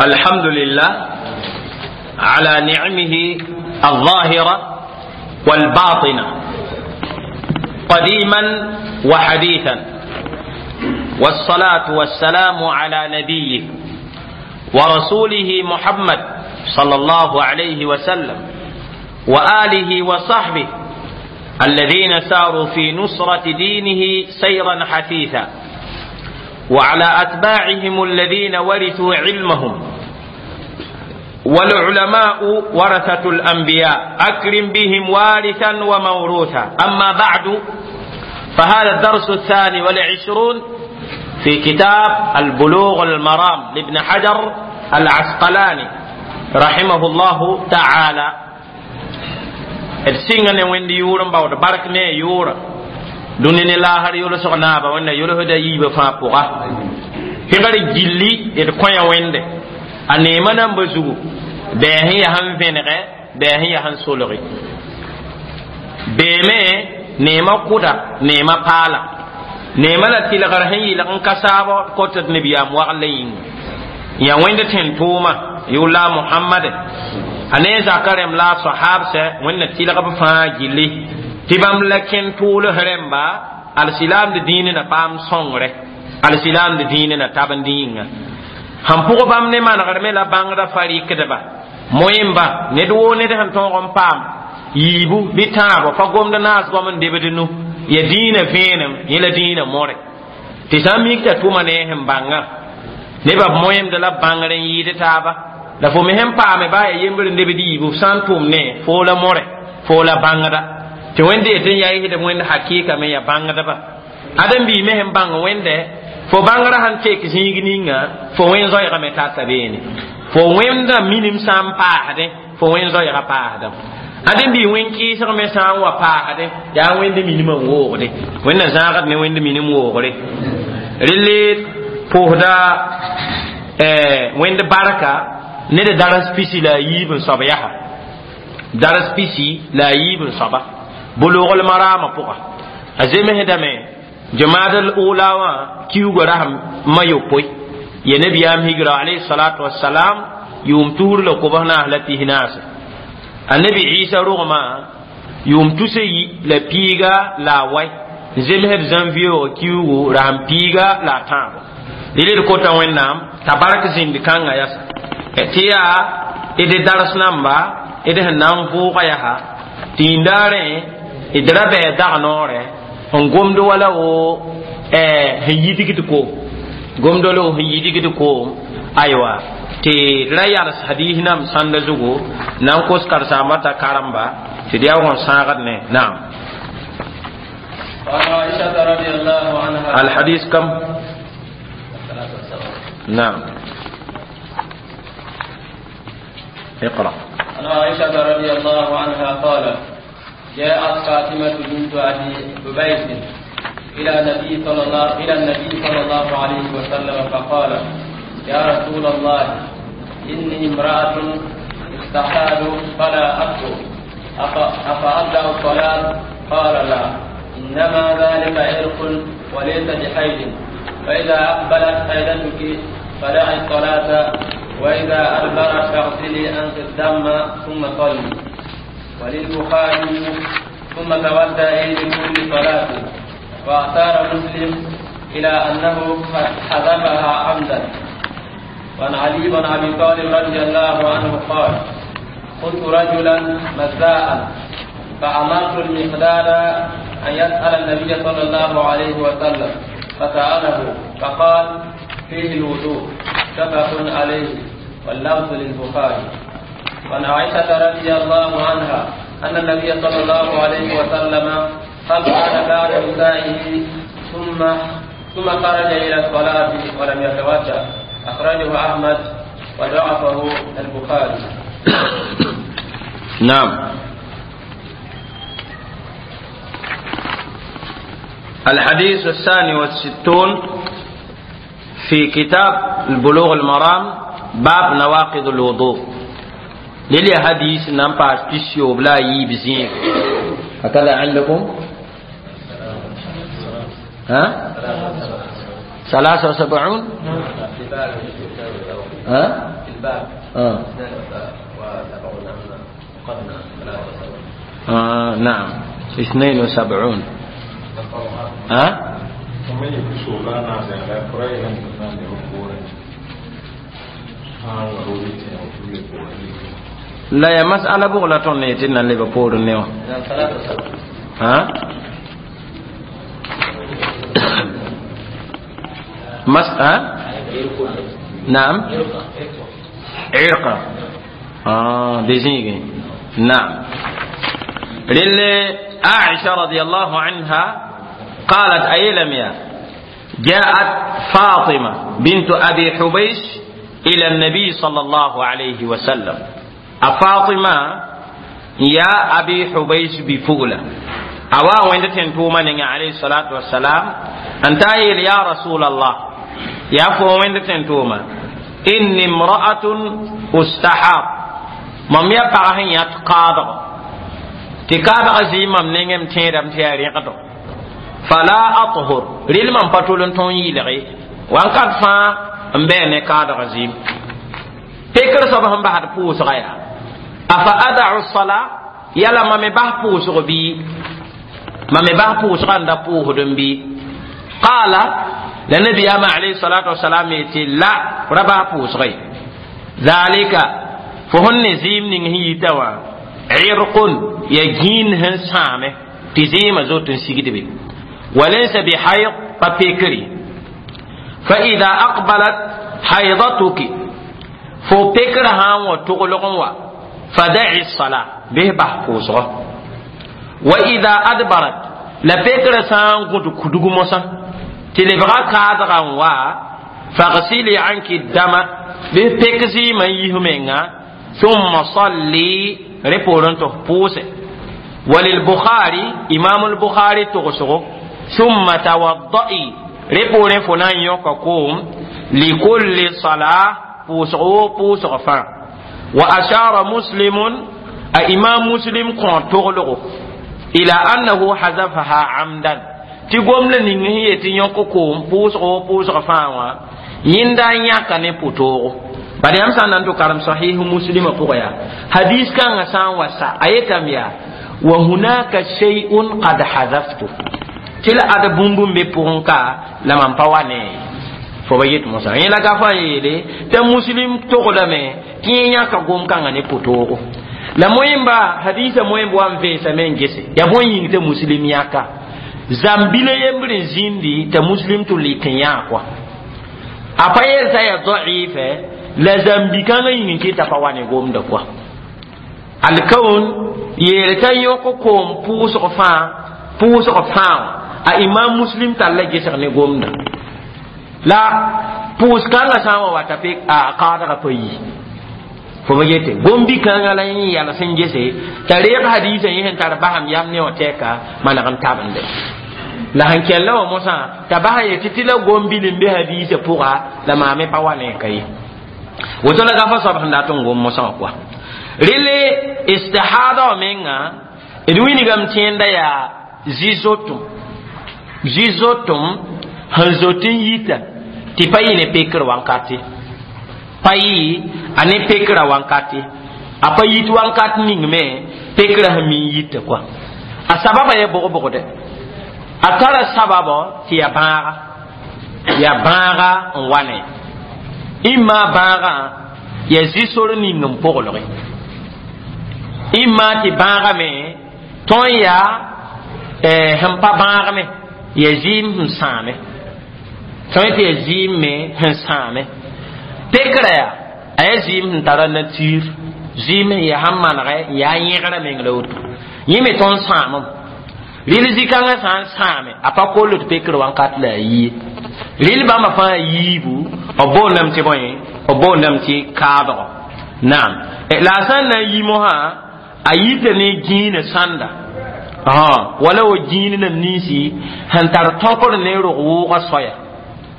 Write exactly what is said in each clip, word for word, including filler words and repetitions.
الحمد لله على نعمه الظاهرة والباطنة قديما وحديثا، والصلاة والسلام على نبيه ورسوله محمد صلى الله عليه وسلم وآله وصحبه الذين ساروا في نصرة دينه سيرا حثيثا، وعلى أتباعهم الذين ورثوا علمهم، والعلماء ورثة الأنبياء أكرم بهم وارثا وموروثا. أما بعد، فهذا الدرس الثاني والعشرون في كتاب البلوغ المرام لابن حجر العسقلاني رحمه الله تعالى. D sɩnga ne wẽnd yʋʋr n baood bark ne a yʋʋra dũni ne laasr yʋlsg naaba wẽnna yʋlsda yiibã fãa pʋga pẽgr gilli d kõya wẽnde a neema namba zugu bɛɛ sẽn yaa sẽn vẽnegɛ bɛɛ sẽn yaa sẽn solge beeme neema kʋda neema paala neema la tɩlgr sẽn yɩlg n ka saabɔ kot d nabiyaam wagl yĩnga yaa wẽnd tẽn-tʋʋma yʋʋla Muhammad a ne zaka rẽmb la a sahabsɛ wẽnna tɩlg b fãa gilli tɩ bãmb la kẽn tʋʋls rẽmba alsilaamd dĩinã na paam sõngre alsilaamd dĩinã na tab n dĩ yĩnga sẽn pʋg bãmb ne manegr me la bãngda fa rɩkdba moẽmba ned woo ned sẽn tõog n paam yiibu bɩ tãabo pa gomd naas goam n debd nu ya dĩinã vẽenem yẽ la dĩinã more tɩ sã n mik t'a tʋma ne sẽn bãngã nebã b moẽmd la bãngr n yɩɩd taaba la fo me sẽn paame baa ya yembr n debd yiibu f sã n tʋm ne foo la more foo la bãngda tɩ wẽnd yetɩ n yaa yɩsdb wẽnd hakɩɩka me ya bãngdba ãdem-biig me sẽn bãng wẽnde fo bãngrã sãn tek zĩig ninga fo wẽn zoɛɛgame tata beene fo wẽnda minim sã n paasdẽ fo wẽn zoɛɛga paasdame ãdem-biig wẽn kɩɩsg me sã n wa paasdẽ yaa wẽnd minim n woogde wẽnna zãagd ne wẽnd minim woogre relle pʋʋsda wẽnd barka ned daras pisi la a yiib n soab yaa daras pisi la a yiib n soaba bulugl marama pʋga a zemsdame jamaad al ula wã kiuga rasem ma yopoe ya nabiyaam higra alayhi salatu wassalam yʋʋm tusr la kobs naas la pis naase annabi Isa rogmã yʋʋm tusa yi la piiga la a wai n zemsd janvier wã kiugu rasem piiga la a tãabo rel d kota wẽnnaam t'a bark zĩnd kãngã yasa tɩ yaa d dars namba d sẽn na n vʋʋga yaa tɩ yĩndaarẽ d ra bɩ dag noorɛ n gomd wala wo sẽn yidgd koom gomd wala wo sẽn yidgd koom aywa tɩ d ra yals hadis nam sãnda zugu na n kos karsaambã t'a karemba tɩ d yaa n sãagd ne naam. وعن عائشة رضي الله عنها الحديث كم؟ نعم اقرأ. عن عائشة رضي الله عنها قالت جاءت فاطمة بنت أبي حبيش إلى النبي صلى الله إلى النبي صلى الله عليه وسلم فقال يا رسول الله إني امرأة استحال فلا أطهر أفأبدأ الصلاة؟ قال لا، إنما ذلك عرق وليس بحيض، فإذا أقبلت حيضتك فدعي الصلاة، وإذا أدبرت فاغسلي عنك الدم ثم صلي. وللبخاري ثم تودعي لكل صلاة. وأشار مسلم إلى أنه حذفها عمدا. وعن علي بن أبي طالب رضي الله عنه قال كنت رجلا مزاء فأمرت المقداد أن يسأل النبي صلى الله عليه وسلم فسأله فقال فيه الوضوء، متفق عليه واللفظ للبخاري. وعن عائشة رضي الله عنها أن النبي صلى الله عليه وسلم قبل بعد نسائه ثم ثم خرج إلى الصلاة ولم يتوضأ. أخرجه أحمد وضعفه البخاري. نعم. الحديث الثاني والستون في كتاب البلوغ المرام باب نواقض الوضوء. للي حديث نام باس بيسيو بلا يبزين هكذا عندكم؟ ها؟ ثلاثة وسبعون؟ ها؟ الباب آه. وسبعون قرنا آه نعم اثنين وسبعون ها؟ لا يا مسألة بغلة تونيتنا اللي بقول نيو ها؟ مسألة نعم عرقة آه ديزيني نعم للي عائشة رضي الله عنها قالت أيلم يا جاءت فاطمة بنت أبي حبيش إلى النبي صلى الله عليه وسلم أفاطمة يا أبي حبيش بفولة أوا وين تنتوما عليه الصلاة والسلام أنت يا رسول الله يا فو وين تنتوما إني امرأة أستحاض مم يبقى يتقاضى تكاد أزيم مم نعم تيرم تياري فلا أطهر ريل من بطولن تون يلغي وان قد فا مبين كاد غزيم تكر صبح بعد بوس غيا أفأدع الصلاة يلا ما مبه بوس غبي ما مبه بوس غندا بوه بي قال لنبي أما عليه الصلاة والسلام يتي لا ربا بوس غي ذلك فهن زيم نهي توا عرق يجين هن سامه تزيم زوت سيجد بي وليس بحيض ببيكري فإذا أقبلت حيضتك فبكرها وتغلقوا فدعي الصلاة به بحفوظه وإذا أدبرت لبكر سان قد كدغ موسى تلبغا كادغا وا فاغسلي عنك الدم به بكزي من يهمنا ثم صلي ريبورن تحفوظه وللبخاري إمام البخاري تغسغو ثم توضئي ريبورن فنان يوكاكوم لكل صلاة بوسغو بوسغ فان وأشار مسلم إمام مسلم كون تغلغو إلى أنه حذفها عمدا تقوم لنهي تيوكاكوم بوسغو بوسغ فان يندا ياكا نبوتوغو bari am san nan to karam sahih muslim ko ya hadis kan san wasa ayetam ya wa hunaka shay'un qad hadaftu tila ada bumbum be purunka la man pawane fo ba yet musa yela ga fa yele te muslim to ko me tinya ka gom kan ne potoro la moyimba hadisa moyimba wan ve sa men gese ya bon yin te muslim yaka zambile yembre zindi te muslim to litinya kwa apaye sa ya dha'ife la zambi kan yin ke ta pawane gom da kwa alkaun yele ta yoko kom puso fa puso fa a imam muslim talla gesar ne gomda la pus kanga sama wata pe a qada ka payi fo ba yete gombi kanga la yin yala sen gese tariq hadisa yin tar baham yam ne oteka mana kan tabande la hankella wa musa tabaha yete tila gombi limbe hadisa pura la mame pawane kai woto la gafa sabah nda ton gom musa kwa rile istihada menga edwini gam tienda ya zizotum zizotum hanzotin yita ti payi ne pekir wankati payi ane pekira wankati apa yit wankati ning me pekira hamin yita kwa a sababa ye bogo bogo de a tara sababa ti ya baaga ya baaga n wane imma baaga ya zisor ning n pogloge imma ti baaga me tõn ya eh, sẽn pa bãag me ya zɩɩm sẽn sãame tõe tɩ ya zɩɩm me sẽn sãame pekrã yaa a yaa zɩɩm sẽn tara nature zɩɩm sẽn yaa sãn manegɛ n yaa yẽgrã meng la woto yẽ me tõnd sãamem rɩl zĩ-kãngã sã n sãame a pa koll tɩ pekr wãnkat la a yie rɩl bãmba fãa yiibu b boondame tɩ bõe b boondame tɩ kaabgo naam la a sã n na n yi mosã a yita ne gĩinã sãnda ah wala wo gĩin nam ninsi sẽn tar tõkr ne rog wʋʋgã soaya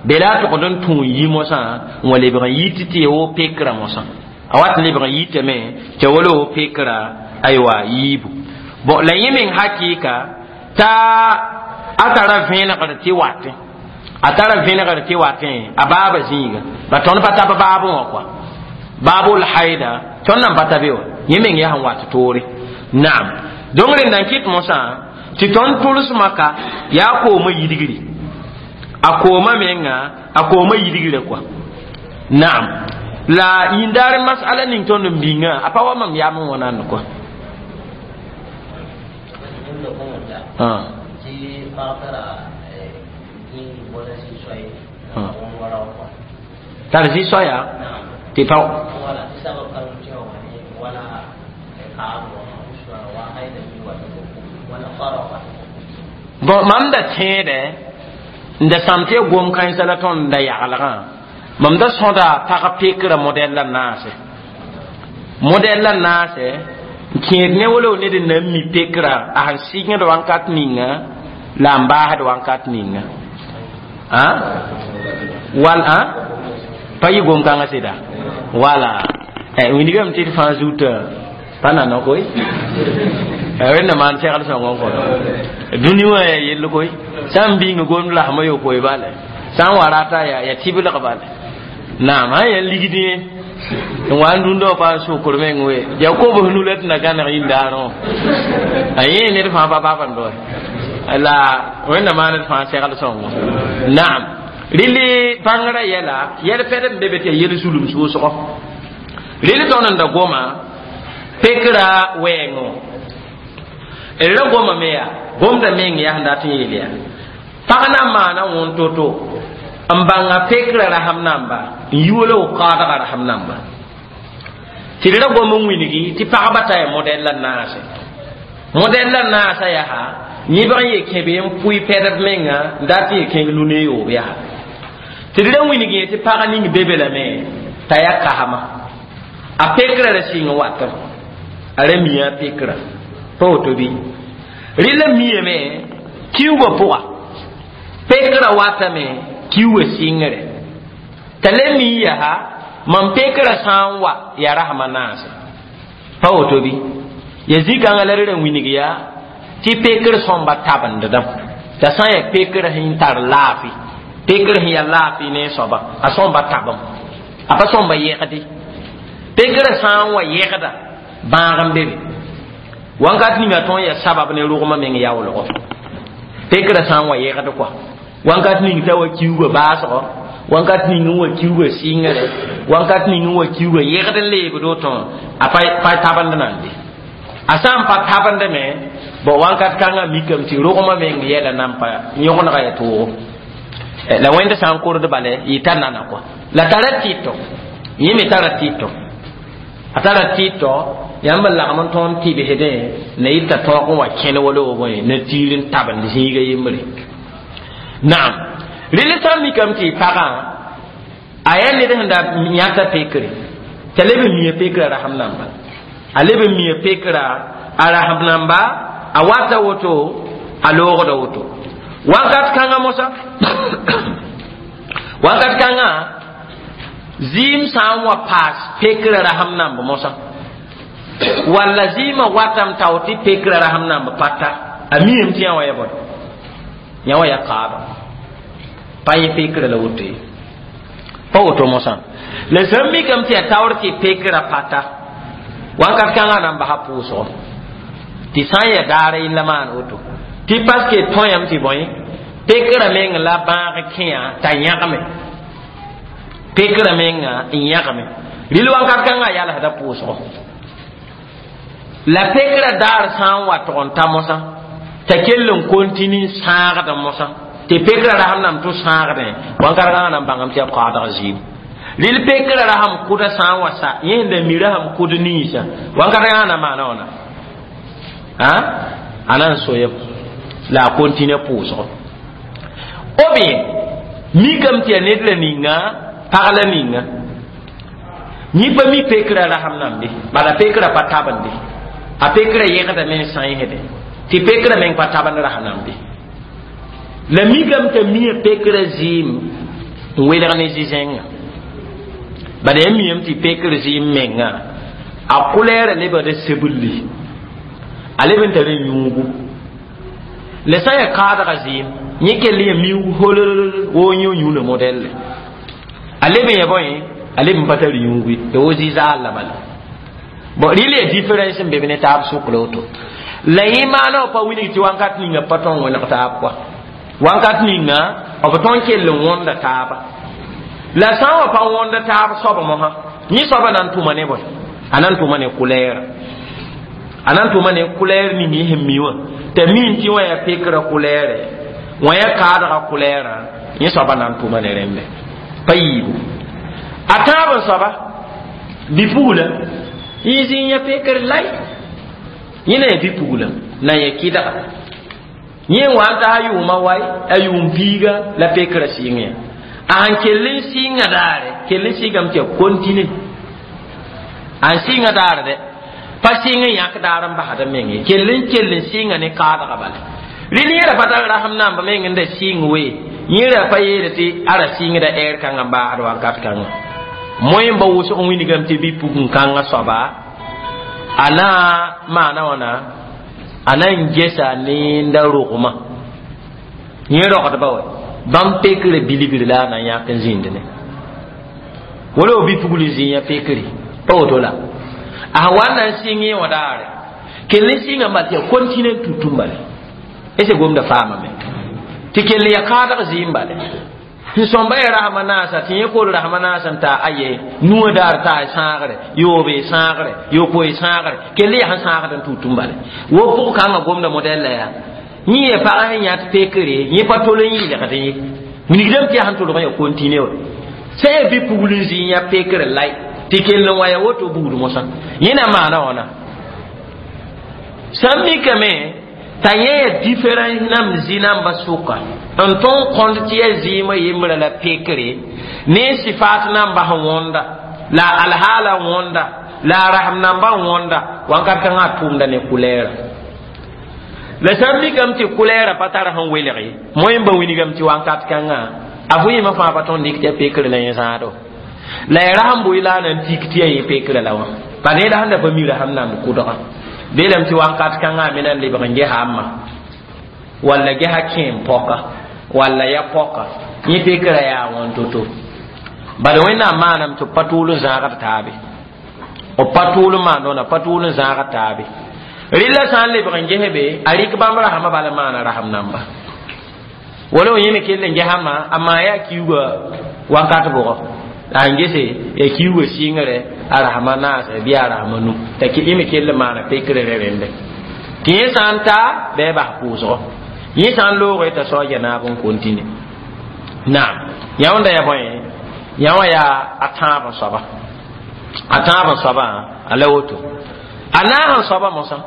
bela tʋgd n tũ n yi mosã n wa lebg n yit tɩ ya wo pekrã mosã a wat n lebg n yitame tɩ wala wo pekrã aywa yiibu bon la yẽ meng hakɩɩka t'a a tara vẽenegr tɩ watẽ a tara vẽenegr tɩ watẽ a baaba zĩiga ba tõnd pa tab baabẽ wã kɔa Babul haida tõnd nan pa ta be wa yẽ meng yaa sẽn wat toore. Naam, donc rẽnd n kɩt mosã tɩ tõnd tʋlsmã ka yaa koomã yidgri, a koomã menga a koomã yidgrã kɔa. Naam, la yĩndaar masala ning tõnd n bĩngã a pa wa mam yaam n wãnand kɔa. Tar zĩ-soaya tɩ pa bon mam da tẽedɛ n da sãm tɩ ya gom kãensã la tõnd da yaglgã mam da sõda pag pekrã modɛl la naase modɛl la naase n kẽed ne wala ned n na n mi pekrã a sẽn sɩngd wãnkat ninga la n baasd wãnkat ninga a wal a pa yɩ gom-kãngã sɩda wala wingame tɩ d fãa zuta pa nana koy wẽnna maan segl sõng n kõt dũni wã yaa yell koy sã n bĩng gomd lasmã yo koy bale sã n wa rata yaa tɩblg bale naam sã yaa ligd yẽ n wa n dũndã wã pa n sʋkr meng we ya kobs nu la tɩ na gãneg yĩndaarẽ wã a yẽ ned fãa pa bab n doe la wẽnna maan d fãa segl sõngo. Naam, rɩlɩ bãngrã yɛla yɛl pɛd n be be tɩ yaa yel zulum sʋʋsgɔ rɩl tõnd n da goma pekra wɛɛngõ d ra goma me yaa gomda meng yaa sẽn dat n yeel yaa pag na n maana wõn to-to n bãnga pekra rasem namba n yi wala w kaadga rasem namba tɩ d ra gom n wilgi tɩ pagba ta yaa modɛl la naase modɛl la naasã yaa yẽbg n ye kẽbe n pʋɩ pɛdb menga n dat n ye kẽng lune yoob yaa tɩ d ra wilg yẽ tɩ pag ning be be lame t'a yaa kasma a pekra ra sɩng watem a ra mia a pekra pa woto bɩ rɩla miame kiuugã pʋga pekra watame kiuugã sɩngre t'a le mi yaa mam pekra sã n wa yaa rasmã naase pa woto bɩ ya zĩ-kãngã la d ra wilg yaa tɩ pekr sõmba tabendedame t'a sã n yaa pekr sẽn tar laafɩ pekr sẽn yaa laafɩ ne soaba a sõmba tabem a pa sõmba yɛgde pekr sã n wa yɛgda bãag n be be wãnkat ninga tõnd yaa sabab ne rogmã meng yaoolgo pekrã sã n wa yɛgd kɔa wãnkat ning t'a wa kiuugã baasgɔ wãnkat ning n wa kiuugã sɩngre wãnkat ning n wa kiuugã yɛgd n leebd woto a pa tabend nan be a sã n pa tabendame bon wãnkat kãngã mikame tɩ rogmã meng yɛla nan pa yõgenega yaa toogo la wẽnd sã n kord bale yɩ t'a nana kɔa la tara tɩtɔ yẽ me tara tɩtɔ a tara tɩtɔ yãmb n lagm n tõnd tɩbsdẽ na yɩta tõog n wa kẽne wala wo bõe na tiir n tabend zĩiga yembre. Naam, rɩl sã n mikame tɩ pagã a yaa ned sẽn da yãta pekre t'a leb n mia pekrã rasem namba a leb n mia pekrã a rasem namba a wata woto a loogda woto wakat kãngã mosã wakat kãngã zɩɩm sã n wa paas pekrã rasem namb mosã walla zɩɩmã watam tao tɩ pekrã rasem namb pata a miame tɩ yã wã ya bõe yã wã ya kaaba pa yẽ pekrã la woto ye pa woto mosã la sã n mikame tɩ yaa taoor tɩ pekrã pata wãnkat kãngã na n basa pʋʋsgo tɩ sã n yaa daar yella maan woto tɩ paske tõyame tɩ bõe pekrã meng la bãag kẽa t'a yãgme pekrã menga n yãgme rɩl wãnkat kãngã yalsda pʋʋsgo la pekrã daar sã n wa tʋg n ta mosã t'a kell n kontini n sãagd mosã tɩ pekrã rasem nam tʋ sãagdẽ wãnkat kãngã na n bãngame tɩ yaa kaadg zɩɩm rɩl pekrã rasem kʋda sã n wa sa yẽ sẽn da mi rasem kʋd ninsã wãnkat kãngã na maana wãna a a na n soyem la a kontine pʋʋsgo ou bien mikame tɩ yaa ned la ninga pag la ninga yẽ pa mi pekrã rasem nambe bala pekrã pa tabende a pekrã yẽgdame n sãensde tɩ pekrã meng pa tabend rasem nambe la mikame t'a mia pekrã zɩɩm n welg ne zĩ-zẽngã bala yaa miame tɩ pekr zɩɩm menga a kʋlɛɛrã lebgda seblli a leb n tara yũugu la sã n yaa kaadga zɩɩm yẽ kell yaa miuug holol woo yẽ yũuna modɛlle a leb n yaa bõe A leb n pa tar yũugi ya wo zi-zaal la bala. Bon, rɩl ya différence n be b ne taab sʋk la woto. La yẽ maana b pa wilg tɩ wãnkat ninga pa tõe n wẽneg taab kɔa. Wãnkat ninga b tõe n kell n wõnda taaba. La sã n wa pa wõnda taab soab mosã, yẽ soaba na n tʋma ne bõe? A na n tʋma ne kulɛɛra. A na n tʋma ne kulɛɛr ning yẽ sẽn mi wã. T'a min tɩ wã yaa pekrã kulɛɛrɛ, wã yaa kaadgã kulɛɛrã, yẽ soaba na n tʋma ne rẽmbe. Pa yiibu. A tãab n soaba, bipugla, yẽ zĩ n yã pekr lai. Yẽ na ya bipugla, na n ya kɩdga. Yẽ n wa n ta a yʋʋmã wae, a yʋʋm piiga la pekrã sɩng ya. A sẽn kell n sɩnga daare, kell n sɩngame tɩ ya kontine. A n sɩnga daare dɛ, pa sɩng n yãk daar n basd n meng ye. Kell n kell n sɩnga ne kaadga bala. Rɩl yẽ ra pa tar rasem namba meng n da sɩng we, yẽ ra pa yeele tɩ a ra sɩngda ɛɛr kãngã n baasd wakat kãngã. Moẽ n ba wʋsg n wilgame tɩ bɩ-pugẽ-kãngã soaba, a na maana wãna, a na n gesa nenda rogmã. Yẽ rogdba wɛ, bãmb pekrã bilgr la a na n yãk n zĩnd ne. Wala b bɩ-pugl n zĩ yã pekre, pa woto la. A sẽn wa n na n sɩng yẽ wã daare, kell n sɩnga n bal tɩ ya kontine n tutum bale. Ese gomda faamame. Tɩ kell ya kaadg zɩɩm bale. N sõmba ya rasma naasa, tɩ yẽ kol rasma naasa n taa aye, nuwã daar taa sãagre, yoobe sãagre, yopoe sãagre, kell yaa sẽn sãagd n tutum bale. Wo pʋg kãngã gomda modɛl la yaa. Yẽ ya pagã sẽn yãt pekre, yẽ pa tol n yɩlgd ye. Wilgdame tɩ yaa sẽn tolg n ya kontine wa. Sã yaa bɩ-pugl n zĩ n yã pekr lai, tɩ kell n wa ya woto buud mosã. Yẽ na maana wãna. Sã n mikame t'a yẽ ya différence nam zĩ namba sʋka n tõn kõnd tɩ ya zɩɩmã yembrã la pekre ne sɩfaat namba sẽn wõnda la alhaala wõnda la a rasem namba n wõnda wãnkat kãngã a tʋʋmda ne kulɛɛra. La sã n mikame tɩ kulɛɛra pa tar sẽn welg ye, moẽ n ba wilgame tɩ wãnkat kãngã a vɩɩmã fãa pa tõnd dɩk tɩ ya pekre la yẽ zãado. La ya rasem bʋɩ la a na n tik tɩ ya yẽ pekre la wã. Pa ne la sẽn da pa mi rasem namd kʋdgã. Beelame tɩ wãnkat kãngã a me na n lebg n gesa a ma walla gesa kẽem pɔka walla ya pɔka yẽ pekrã yaa wãn to-to. Bala Wẽnnaam maaname tɩ b pa tʋʋl n zãagd taabe. B pa tʋʋl n maan wãna, pa tʋʋl n zãagd taabe. Rɩla sã n lebg n ges be, a rɩk bãmb rasmã bala maana rasem namba. Wala yẽ me kell n gesa ma, a maa yaa kiuga wakat bʋgɔ. La n gese ya kiuga sɩngre a rasmã naasɛ bɩ a rasmã nu. T'a yẽ me kell n maana pekrã rẽ rẽnde. Tɩ yẽ sã n ta, bɩ a bas pʋʋsgɔ. Yẽ sã n loogre t'a saoog ya naab n kontine. Naam, yã wãnda ya bõe? Yã wã yaa a tãab n soaba. A tãab n soabã, a la woto. A naas n soaba mosã.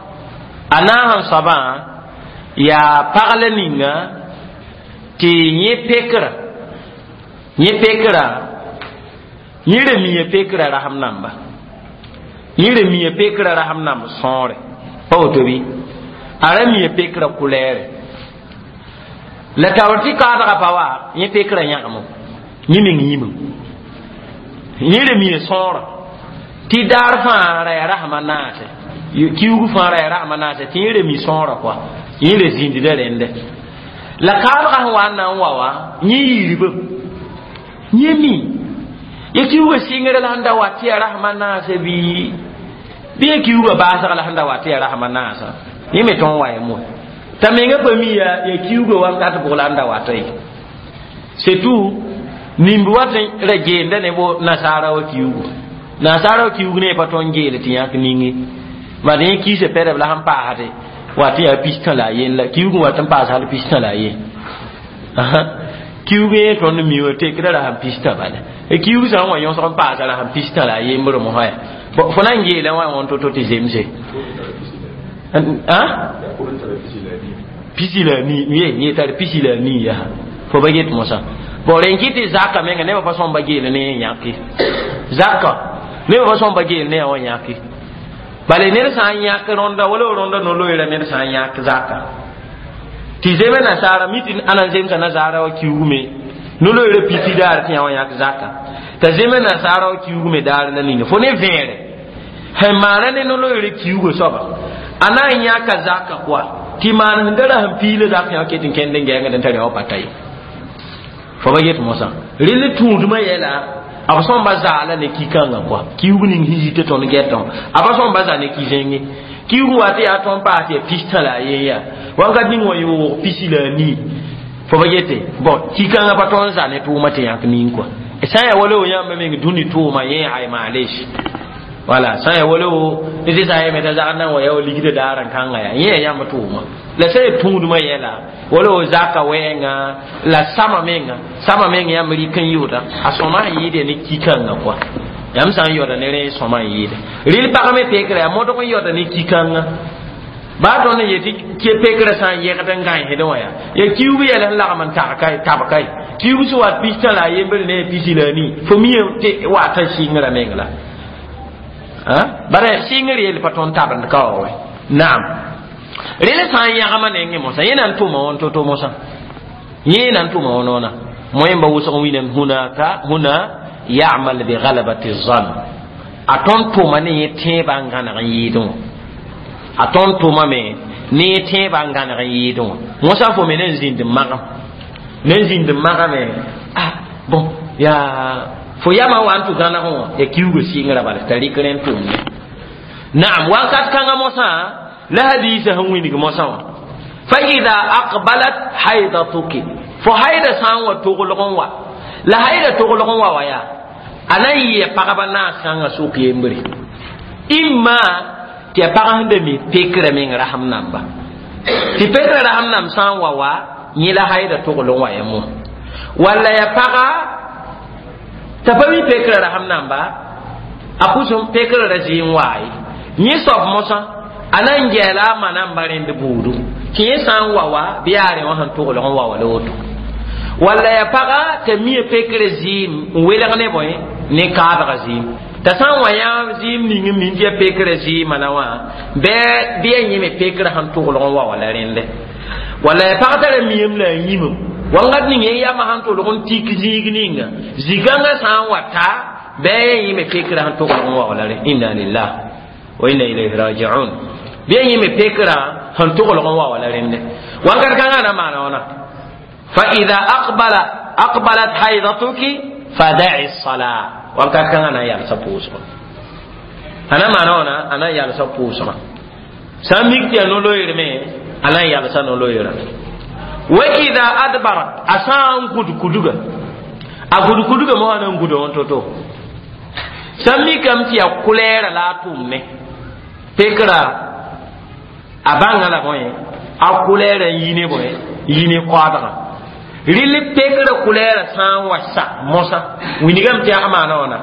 A naas n soabã yaa pagla ninga tɩ yẽ pekrã. Yẽ pekrã, yẽ ra mia pekrã rasem namba. Yẽ ra mia pekrã rasem namb sõore. Pa woto bɩ? A ra mia pekrã kulɛɛre. La taoor tɩ kaadgã pa wa, yẽ pekrã yãgemo. Yẽ meng yĩmem. Yẽ ra mia sõora. Tɩ daar fãa ra yaa rasmã naase. Kiugu fãa ra yaa rasmã naase, tɩ yẽ ra mi sõora kɔa. Yẽ ra zĩndda rẽndɛ. La kaadgã sẽn wa n na n wa wã, yẽ yiiribame. Yẽ mi. Ya kiuga sɩngr la sẽn da wa tɩ ya rasmã naasã bɩ bɩ ya kiuga baasg la sẽn da wa tɩ ya rasmã naasã. Yẽ me tõe n wa ya moe. T'a menga pa mi ya ya kiuga wakat bʋg la n da wata ye. C'est tout. Nimb wat n ra geenda ne bo nasaara wa kiugu. Nasaara wa kiugu ne pa tõe n geele tɩ yãk ninge. Bad yẽ kiisa pɛdb la sẽn paasde wa tɩ yaa pistã la a yen la kiugu wat n paas hal pistã la a yen. Kiugu yẽ tõnd mi wã tekda ra sẽn pistã bala. Kiugu sã n wa yõsg n paasa ra sẽn pistã la a yembr mosã yaa. Fo na n geela wã wãn to-to tɩ zemse. Pisi la nii, ye yẽ tar pisi la nii yaa. Fo ba get mosã. Bon, rẽn kɩ tɩ zaka menga nebã pa sõm ba geel ne yẽ yãke. Zaka nebã pa sõm ba geel ne yã wã yãke. Bala ned sã n yãk rõnda wala rõnda no-loeera ned sã n yãk zaka. Tɩ zeme nasaara mi tɩ ãna n zemsa nasaara wã kiugume no-loeera piti daar tɩ yã wã yãk zaka. T'a zeme nasaara wã kiugume daar la ninga fo ne vẽere. Sẽn maana ne no-loeera kiugo soaba a na n yãka zaka kɔa tɩ maan sẽn da ra sẽn piila zak yã ket n kẽnd n gɛɛngd n tar yã wã pa ta ye. Fo ba get mosã. Rɩl tũudmã yɛla b sõmba zaala ne ki-kãngã kɔa kiuug ning sẽn yit tɩ tõnd gɛtã a pa sõmba za ne ki-zẽnge kiuug wa tɩ yaa tõnd paas tɩ ya pistã la a yen yaa wãnkat ning wã yoog pisi la a nii fo pa yete bon ki-kãngã pa tõnd za ne tʋʋmã tɩ yãk nin kɔa sã n yaa wala wo yãmba meng dũni tʋʋma yẽ ay maalesh wala sã n yaa wala wo ne tɩ sã n yeme t'a zagd nan wa yaa wa ligdã daar n kãnga yaa yẽ yaa yãmb tʋʋma la sã n tũudmã yɛla wala wo zaka wɛɛngã la sama menga sama meng yãmb rɩk n yʋʋda a sõma sẽn yɩɩd ne ki-kãngã kɔa yãmb sã n yaoda ne rẽ sõma n yɩɩda rɩl pag me pekra yaa modg n yaoda ne ki-kãngã baa tõnd n yetɩ pekrã sã n yɛgd n gãensdẽ wã yaa ya kiuug yɛl sẽn lagm n tag kae tab kae kiuug sẽn wat pistã la a yembr ne pisi la a nii fo mi tɩ wat n sɩngrã meng la bara sɩngr yell pa tõnd tabend ka wa wɛ naam rel sã n yãgma nengẽ mosã yẽ na n tʋma wãn to-to mosã yẽ na n tʋma wã noona moẽmba wʋsg wĩnam hunaka huna yamal bi galabati zan a tõnd tʋma ne yẽ tẽebã n gãneg n yɩɩdẽ wã a tõnd tʋma me ne yẽ tẽebã n gãneg n yɩɩdẽ wã mosã fo me ne n zĩnd n magam ne n zĩnd n magame ah bon yaa fo yama wa n tʋ gãneg wã ya kiuugã sɩngrã bala t'a rɩk rẽ n tʋmne naam wakat kãngã mosã la hadisa sẽn wĩnig mosã wã fa ida aqbalat haidatuki fo haida sã n wa toglg n wa la haida toglg n wa wa yaa a na n yɩa pagba naas kãngã sʋk yembre imma tɩ ya pag sẽn da mi pekrã meng rasem namba tɩ pekrã rasem namb sã n wa wa yẽ la haida togl n wa ya mo walla ya paga t'a pa mi pekrã rasem namba a pʋsem pekrã ra zɩ n waa ye yẽ soab mosã a na n gɛɛla a ma namba rẽnd buudu tɩ yẽ sã n wa wa bɩ yaa rẽ wã sẽn toglg n wa wa la woto walla ya paga t'a mia pekrã zɩɩm n welg ne bõe ne kaabga zɩɩm t'a sã n wa yã zɩɩm ning n min tɩ ya pekrã zɩɩmã na wã bɩ bɩ ya yẽme pekrã sẽn toglg n wa wa la rẽnde walla ya pag tara miam la a yĩmem wangat ning yẽ yamã sẽn tolg n tik zĩig ninga zigãngã sã n wa ta bɩ ya yẽme pekrã sẽn toglg n wa wa la rẽ inna lillah wa inna ilayhi rajiun bɩ ya yẽme pekrã sẽn toglg n wa wa la rẽnde wankat kãngã na maana wãna fa ida aqbala aqbalat haidatuki fada'i salaa wakat kãngã na n yalsa pʋʋsgã a na maana wãna a na n yalsa pʋʋsgã sã n mik tɩ yaa no-loeer me a na n yalsa no-loeerã wa ida adbarat a sã n gũd kuduga a gũd kuduga mosã na n gũda wã to-to sã n mikame tɩ yaa kʋlɛɛra la a tʋmne pekra a bãnga la bõe a kʋlɛɛra n yi ne bõe yi ne koadgã rɩl pekrã kʋlɛɛra sã n wa sa mosã wingame tɩ yaa maana wãna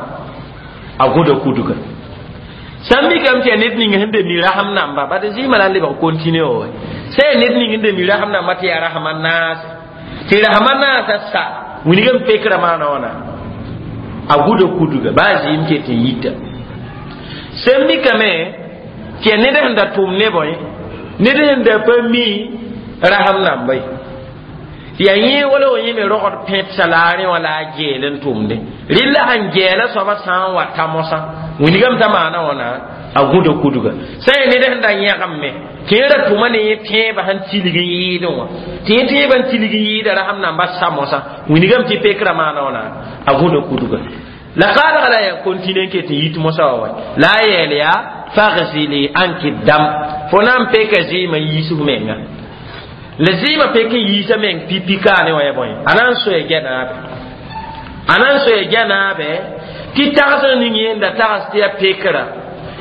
a gũda kuduga sã n mikame tɩ yaa ned ning sẽn be mi rasem namba bad zɩɩmã la n lebg kontine wa sã yaa ned ning n be mi rasem namba tɩ yaa rasma naase tɩ rasma naasã sa wingame pekrã maana wãna a gũda kuduga baa zɩɩm ket n yita sẽn mikame tɩ yaa ned sẽn da tʋm ne bõe ned sẽn da pa mi rasem namba ye tɩ yaa yẽ wala wa yẽ me rogd pẽtsa la a rẽ wã la a geel n tʋmde rɩlla sẽn gɛɛla soabã sã n wa ta mosã wingame t'a maana wãna a gũda kuduga sã n yaa ned sẽn da yãgem me tɩ yẽ ra tʋma ne yẽ tẽebã sẽn tilg n yɩɩdẽ wã tɩ yẽ tẽebã n tilg n yɩɩda rasem namba sa mosã wingame tɩ pekrã maana wãna a gũda kuduga la kaadga la yaa kontine n ket n yit mosã wa wa la a yeel yaa fagsili anki dam fo na n peka zɩɩmã n yiisg menga la zɩɩmã pek n yiisa meng pipi kaane wã ya bõe a na n soe gɛnaabe a na n soe gɛnaabe tɩ tagsg ning yẽnda tags tɩ yaa pekra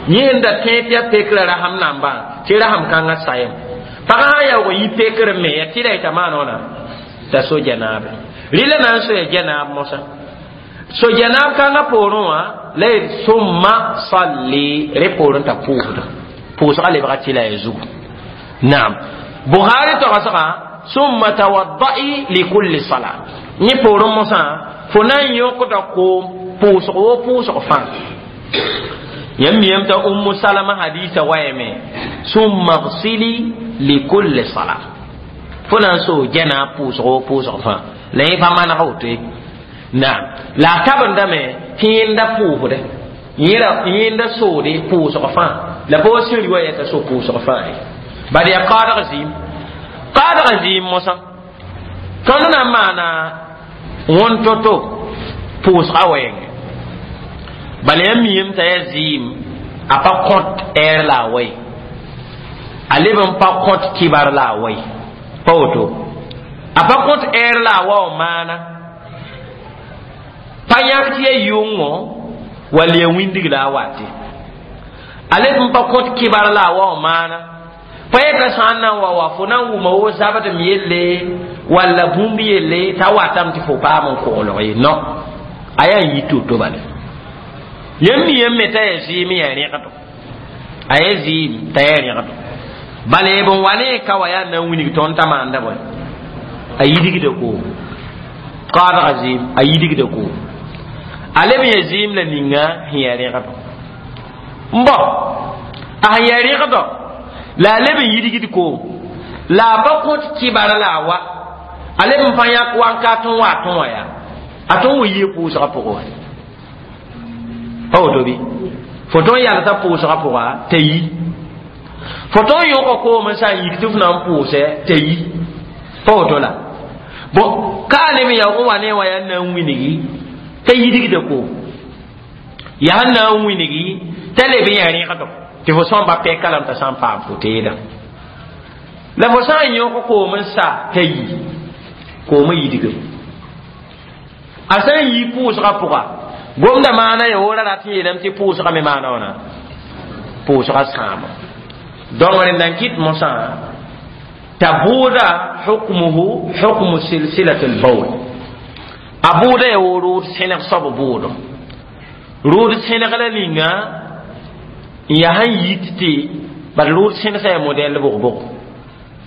yẽnda tẽ tɩ yaa pekra rasem nambã tɩ rasem kãngã sayem pagã sã n yaoog n yi pekr me yaa tɩ la yeta maan wãna t'a so gɛnaabe rɩla na n soa gɛnaab mosã so gɛnaab kãngã poorẽ wã la yet summa salli rẽ poorẽ t'a pʋʋsda pʋʋsgã lebga tɩ la ya zugu naam bukhari togsga summa tawadda'i likulli sala yẽ poorẽ mosã fo na n yõkda koom pʋʋsg wo pʋʋsg fãa yãmb miyame t'a ummu salama hadisa wayame summa gsili likulli sala fo na n soo gɛna pʋʋsg wo pʋʋsg fãa la yẽ pa maneg woto ye naam la a tabendame tɩ yẽnda pʋʋsde yẽnda soode pʋʋsg fãa la pa wa sẽn wa yɛta so pʋʋsg fãa ye bad yaa kaadg zɩɩm kaadg zɩɩm mosã tõnd na n maana wõn to-to pʋʋsga wɛɛngẽ Bala yaa miime t'a yaa zɩɩm a pa kõt ɛɛr la a wa ye, a leb n pa kõt kibar la a wa ye. Pa woto a pa kõt ɛɛr la a wa w maana pa yãk tɩ yaa yʋngo wall yaa wĩndg la a wate. A leb n pa kõt kibar la a wa w maana pa yeta sã n na n wa wa fo na n wʋma wo zabdem yelle walla bũmb yelle t'a watame tɩ fo paam n koglg ye. No a yaa n yit to-to bala yãmb mi yãmb me t'a yaa zɩɩm yaa rẽgdo, a yaa zɩɩm t'a yaa rẽgdo. Bala b n wa ne ka wa yaa na n wilg tõnd t'a maanda bõe a yidgda koom kaadga zɩɩm a yidgda koom a leb n yaa zɩɩm la ninga sẽn yaa rẽgdo n bɔ a sẽn yaa rẽgdo la a leb n yidgd koom la a pa kõt kɩbar la a wa a leb n pa yãk wankat n wa tõ wã yaa a tõn wa yie pʋʋsgã pʋgẽ wã pa woto bɩ fo tõn yalsã pʋʋsgã pʋga t'a yi fo tõn yõka koom n sã n yik tɩ f na n pʋʋsɛ t'a yi pa woto la bon ka a leb n yaoog n wa ne wã yaa n na n wilgi t'a yidgda koom yaa n na n wilgi t'a leb n yaa rẽgdo tɩ fo sõmba pɛka lame t'a sã n paam fo teeda la fo sã n yõk koom n sa t'a yi koomã yidgem a sã n yi pʋʋsgã pʋga gomda maana ya wora rat n yeelame tɩ pʋʋsgã me maana wãna pʋʋsgã sãama. Donc rẽnd n kɩt mosã t'a bʋʋda hukmuhu hukmu silsilat albawl a bʋʋda ya wo rʋʋd sẽneg soab bʋʋdo rʋʋd sẽneg la ninga n yaa sẽn yit tɩ bad rʋʋd sẽnegsa yaa modɛl bʋg-bʋg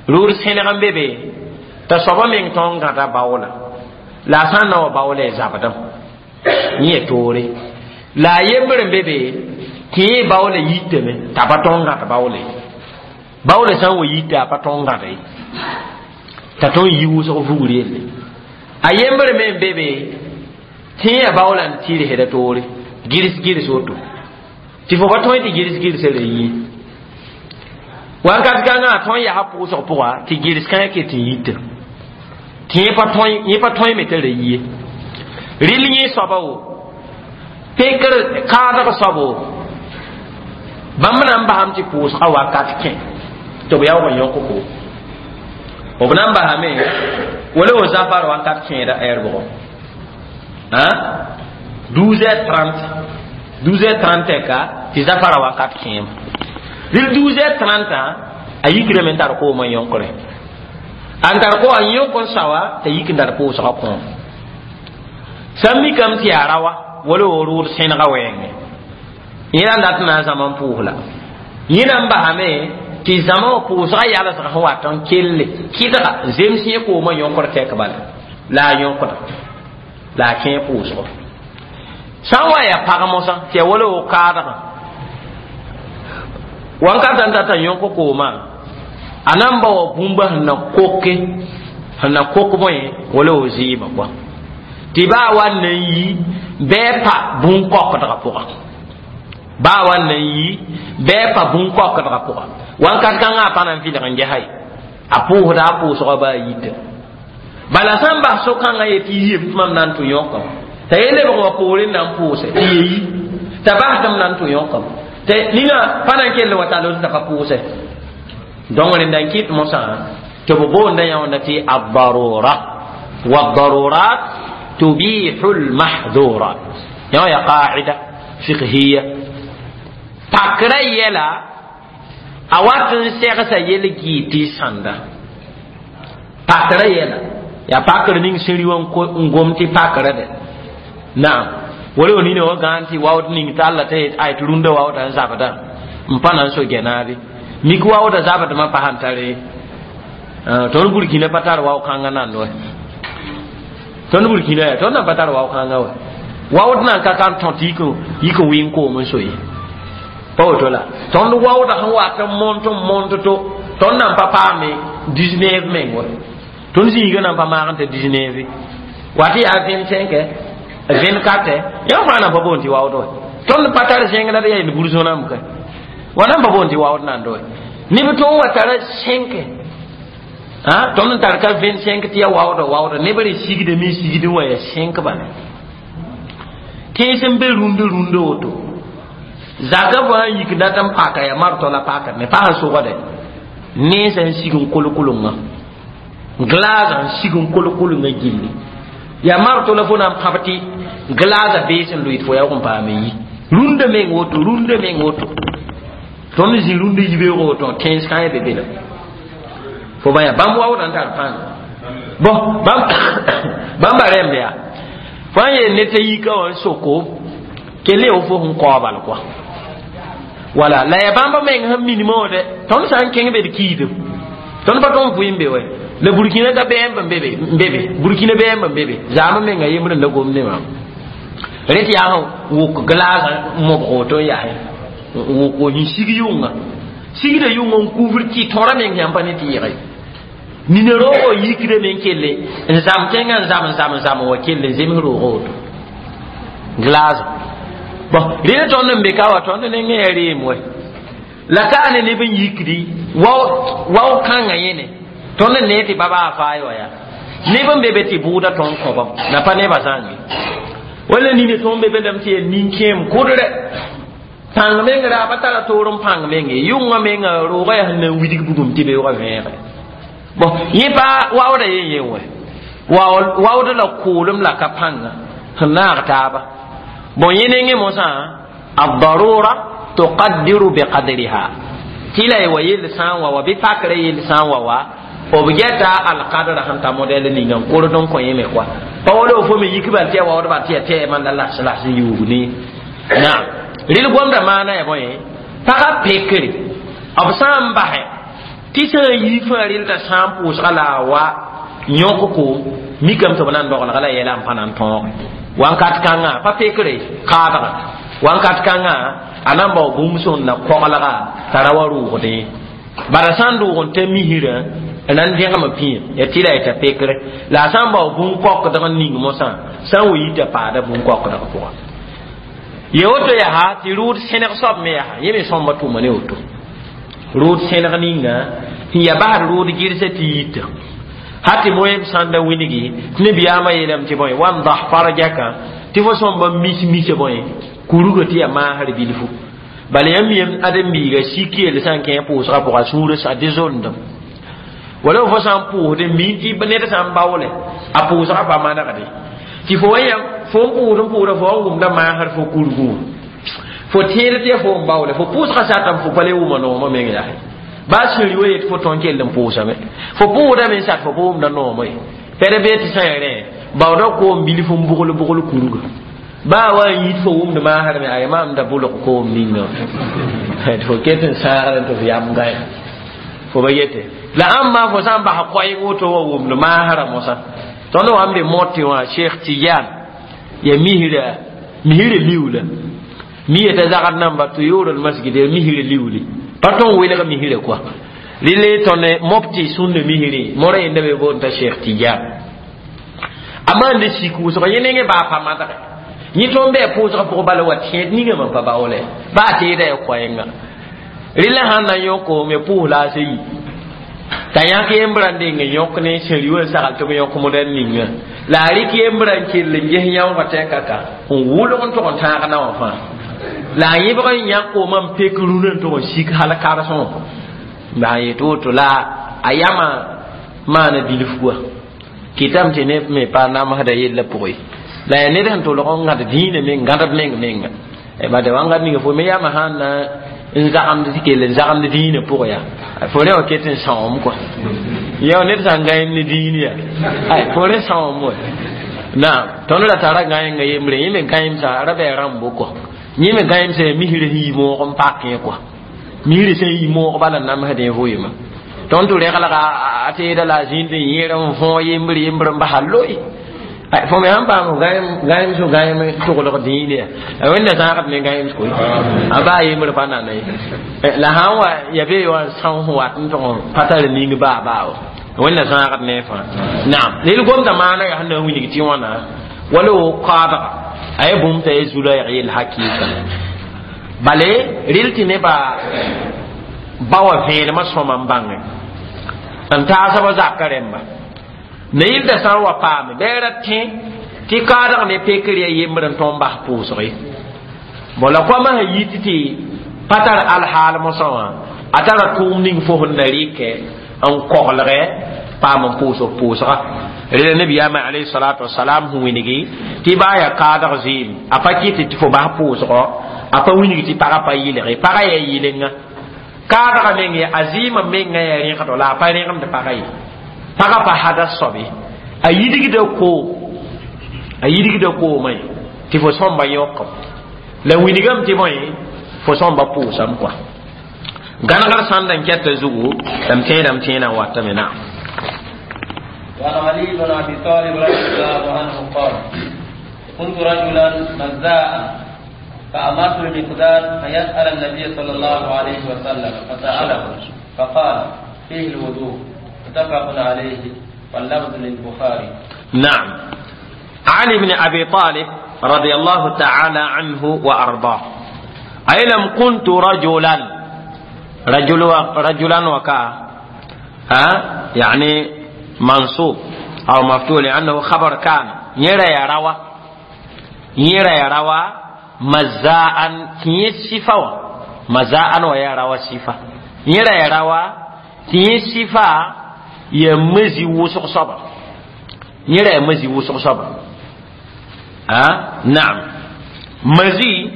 rʋʋd sẽneg n be be t'a soaba meng tõnd gãda baoola la a sã n na wa baoola y zabdem yẽ ya toore la a yembr n be be tɩ yẽ baoola yitame t'a pa tõnd gãd baoole baoola sã n wa yita a pa tõnd gãda ye t'a tõnd yi wʋsg vugr yelle a yembr me n be be tɩ yẽ yaa baoola n tɩrsda toore gɩrs gɩrs woto tɩ fo pa tõe tɩ gɩrs gɩrsa ra yĩ wakat kãngã a tõn yaa pʋʋsg pʋga tɩ gɩrs kãngã ket n yita tɩ yẽ pa tõe me t'a ra yie rɩl yẽ soaba wo pekr kaadg soab wo bãmb na n basam tɩ pʋʋsgã wakat kẽ tɩ b yaoog n yõk ko b na n basame wala wo zafar wakat kẽeda ɛɛr bʋgɔ douze heures trente douze heures trente ka tɩ zafara wakat kẽem rɩl douze heures trente a yikrame n tar koomã yõkre n tar ko a yõk n sawa t'a yik n tar pʋʋsgã kõom sã n mikame tɩ yaa rawa wala wo rʋʋd sẽnega wɛɛngẽ yẽ na n dat n na n zãma n pʋʋs la yẽ na n basame tɩ zãma wã pʋʋsgã yalsgã sẽn wat n kelle kɩdga zems yẽ koomã yõkr tɛk bala la a yõkda la a kẽe pʋʋsgɔ sã n wa yaa pag mosã tɩ yaa wala wo kaadgã wankata n tata yõk koomã a na n ba wa bũmba sẽn na koke sẽn na kok bõe wala wo zɩɩmã kɔa tɩ baa wa n na n yi bɩ pa bũn-kaokdgã pʋga baa wa n na n yi bɩ pa bũn-kaokdgã pʋga wakat kãngã a pa na n vɩlg n gesa ye a pʋʋsda a pʋʋsgã baa yita bala sã n bas so-kãngã yetɩ yem tɩ mam na n tʋ yõkame t'a ye lebg wã poorẽ na n pʋʋse tɩ ye yi t'a bas tɩ m na n tʋ yõkame tɩ ninga pa na n kell wa tall t'a pa pʋʋse. Donc rẽnda n kɩt mosã tɩ b boonda yãonda tɩ addarura waddarurat tubihu lmahdurat yã ya qaida fiqhiya pakrã yɛla a wat n segsa yel-gɩɩ tɩ sãnda pakrã yɛla yaa pakr ning sẽn rɩ wã n gom tɩ pakrã dɛ naam wala wa nina wã gãan tɩ waood ning t'a alla t'a ay tɩ rũndã waooda n zabda n pa na n so gɛnaabe mik waooda zabdmã pa sãn tare tõnd burkina pa tar wao kãngã nand wa tõnd burkina yaa tõnd nan pa tar wao kãngã wa waood nan ka kan tõ tɩ yik n wɩng koom n so ye pa woto la tõnd waooda sẽn wat n mont n mont to tõnd nan pa paame dix-neuf meng wa tõnd zĩiga nan pa maag n t'a dix-neuf wat yaa vingt-cinq vingt-quatre yã fãa nan pa boond tɩ waood wa tõnd pa tar zẽng la d yaa yel bur-zõnam ka wa nan pa boond tɩ waood nand wa neb tõnd wa tara cinq tõnd n tar ka vingt-cinq tɩ ya waooda waooda neb re sigdame sigdẽ wã yaa cinq bala Tẽes n be rũnd rũndã woto zaka fãa yik dat n paka ya martɔ la pakd ne pa sẽn sogde nensã n sig n kolk-kolengã glaasã n sig n kolk-kolengã gilli ya martɔ la fo na n pãb tɩ glaasã bees n loɩd fo yaoog n paam n yi rũndã meng woto rũndã meng woto tõnd zĩ rũndã yibeoog woto tẽns kãe be be la fo bã yaa bãmb waoodã n tar pãnga bõn bãmba rẽmb yaa fo n yeel ne t'a yika wã n soko kell ya fo sẽn kao bal kɔa wala la ya bãmba meng sẽn minimã wã dɛ tõnd sã n kẽng be d kiidem tõnd pa tõnd vɩɩm be wɛ la burkina ka bɛɛmb n be be n be be burkina bɛɛmb n be be zaamã menga yembr n la gom ne maam rẽ tɩ yaa sẽn wʋk glaasã mobg woto n yaasẽ wʋk n sig yʋnga sigda yʋnga n kuvr tɩ tõra meng yãmb pa ne tɩ yɩge nina roogo yikda me n kelle n zam kẽngã n zam n zam n zam n wa kell n zems roogo woto glaasã bon rẽnd tõnd n be ka wa tõnd nengẽ yaa reem wɛ la ka ne neb n yikdi wao kãngã yẽne tõnd n nee tɩ baba a faay wa yaa neb n be be tɩ bʋʋda tõnd kõbam la pa nebã zãnge wala nina tõnd be be lame tɩ yaa nin-kẽem kʋdrɛ pãng meng raaba tara toor n pãng menge yʋngã menga roogã yaa sẽn na n widg bugum tɩ beoogã vẽege bon yẽ pa waooda yen yen wɛ waood la kʋʋlem la ka pãnga sẽn naag taaba bon yẽ nengẽ mosã الضرورة تقدر بقدرها tɩ la y wa yell sã n wa wa bɩ pakrã yell sã n wa wa b gɛta alkadra sẽn ta modɛl ninga n kord n kõ yẽ me koa pa wala fo me yik bal tɩ ya waoodba tɩ ya tɛɛ man la las las n yuug ne naam rɩl gomda maana ya bõe pagã pekre b sã n basɛ tɩ sã n yi fãa rɩl t'a sã n pʋʋsga la a wa yõk koom mikame tɩ b na n dogelga la yɛla n pa na n tõoge wankat kãngã pa pekre kaadga wankat kãngã a na n bao bũmb sõn na koglga t'a ra wa rʋʋgdẽ bara sã n doog n ta misrã n na n dẽgem pĩyã ya tɩ la yeta pekre la a sã n bao bũn-kokdg n ning mosã sã n wa yita paada bũn-kokdg pʋga ye woto yaa tɩ rʋʋd sẽneg soab me yaa yẽ me sõmba tʋma ne woto rʋʋd sẽneg ninga sẽn ya basd rʋʋd gɩrsa tɩ yita ha tɩ moem sãn da wilgi tɩ nebiyaamã yeelame tɩ bõe wandah farjaka tɩ fo sõmba mis misa bõe kuruga tɩ yaa maasr bilfu bala yãmb yem ãdem-biiga sik yell sã n kẽ pʋʋsgã pʋga sũurã sa dɩ zondem wala fo sã n pʋʋsd mi tɩ ned sã n baoole a pʋʋsgã pa manegde tɩ fo wa yã fo n pʋʋsd n pʋʋsda fo wa n wʋmda maasr fo kurgẽ wã fo tẽed tɩ ya fo n baoole fo pʋʋsgã satame fo pa le wʋma noomã meng yaa baa sẽri wa yet fo tõn kell n pʋʋsame fo pʋʋsdame n sat fo pa wʋmda noomã ye pɛd bee tɩ sã n rẽ baooda koom bilf n bʋgl bʋgl kurga baa wa n yit fo wʋmd maasrme ay maam da bʋlg koom ninga tɩ fo ket n sãagd tɩ f yam gãe fo ba yete la ãmba fo sã n bas koɛɛg woto wa wʋmd maasrã mosã tõnd wa n be motɩ wã cheikh tijan ya misra misra liuula mi yeta zagd namba tuyur almasjid ya misra liuli pa tõn welg misra koa rɩle tõnd mobtɩ sũnda misrẽ mora yenda be boond t'a cheikh tijan a maanda sik wʋsg yẽ nengẽ baa pa madge yẽ tõnd bɩ a pʋʋsgã pʋgẽ bala wa tẽed ninga mam pa baoole baa teeda ya koɛɛnga rɩla sãn na n yõk me pʋʋs la a sã yi t'a yãk yembrã n deng n yõk ne sẽri wã n sagl tɩ b yõk modɛl ninga la a rɩk yembrã n kell n ges yãoogã tɛka ka n wʋlg n tʋg n tãag na wã fãa la a yẽbg n yãk koomã n pek rũnã n tʋg n sik hal karsẽ wã la a yet woto la a yamã maana bilf wa kɩtame tɩ neb me pa namsda yellã pʋgẽ la yaa ned sẽn tolg n gãd dĩinã meng gãdb meng menga bade wãngat ninga fo me yamã sãn na n zagemd tɩ kell n zagemd dĩinã pʋgẽ yaa fo rẽ wã ket n sãoom kɔa ya ned sã n gãem ne dĩin yaa ay fo rẽ sãoom wa naam tõnd ra tara gãenga yembre yẽ me gãemsa ra bɩ rãmbo kɔ yẽ me gãemsa yaa misrã sẽn yi moog n pak yẽ kɔa misrã sẽn yi moog bala n namsdẽ vʋɩɩmã tõnd tɩ reglga a teeda la a zĩnd n yẽer n võog yembr yembr n basa loe fo me sãn paam gãem so gãem toglg dĩin yaa wẽnda zãagd ne gãems koe a baa yembr pa nana ye la sãn wa ya bee wa n são sẽn wat n tʋg pa tar ning baa baa wa wẽnda zãagd ne fãa naam rel gomda maana yaa sẽn na n wilg tɩ wãna wala wo kaadga a ya bũmb t'a ya zu-raɛg yell hakɩɩka bale rel tɩ nebã ba wa vẽenemã sõma n bãnge n taasba zaka rẽmba na yɩlda sã n wa paame bɩ a ra tẽ Tɩ kaadg ne pekr ya yembr n tõnd bas pʋʋsg ye. Bon la koamã sẽn yit tɩ pa tar alhaal mosã wã, a tara tʋʋm ning fo sẽn na rɩkɛ n koglgɛ paam n pʋʋsg pʋʋsga. Rela nabiyaamã alayhi salatu wasalam sẽn wilgi tɩ baa yaa kaadg zɩɩm, a pa kɩt tɩ fo bas pʋʋsgɔ, a pa wilg tɩ pagã pa yɩlge, pagã yaa yɩlenga. Kaadgã meng a zɩɩmã menga yaa rẽgdo la a pa rẽgemd pagã ye. Pagã pa hada soabe, a yidgda koom, a yidgda koomã ye tɩ fo sõmba yõkam la wilgame tɩ bõe fo sõmba pʋʋsame kɔa. Gãnegr sãnd n kɛta zugu la m tẽedame tẽedã n watame na. وعن علي بن ابي طالب رضي الله عنه قال: كنت رجلا مزاء فامرت المقداد ان يسال النبي صلى الله عليه وسلم فساله فقال: فيه الوضوء. متفق عليه واللفظ للبخاري. نعم. علي بن ابي طالب رضي الله تعالى عنه وارضاه اي لم كنت رجلا رجل رجلا وكا ها يعني منصوب او مفتوح لانه خبر كان يرى يروى يرى يروى مزاء تي صفه مزاء ويروى صفه يرى يروى تي صفه يمزي وسق صبر يرى يمزي وسق صبر ها نعم. مزي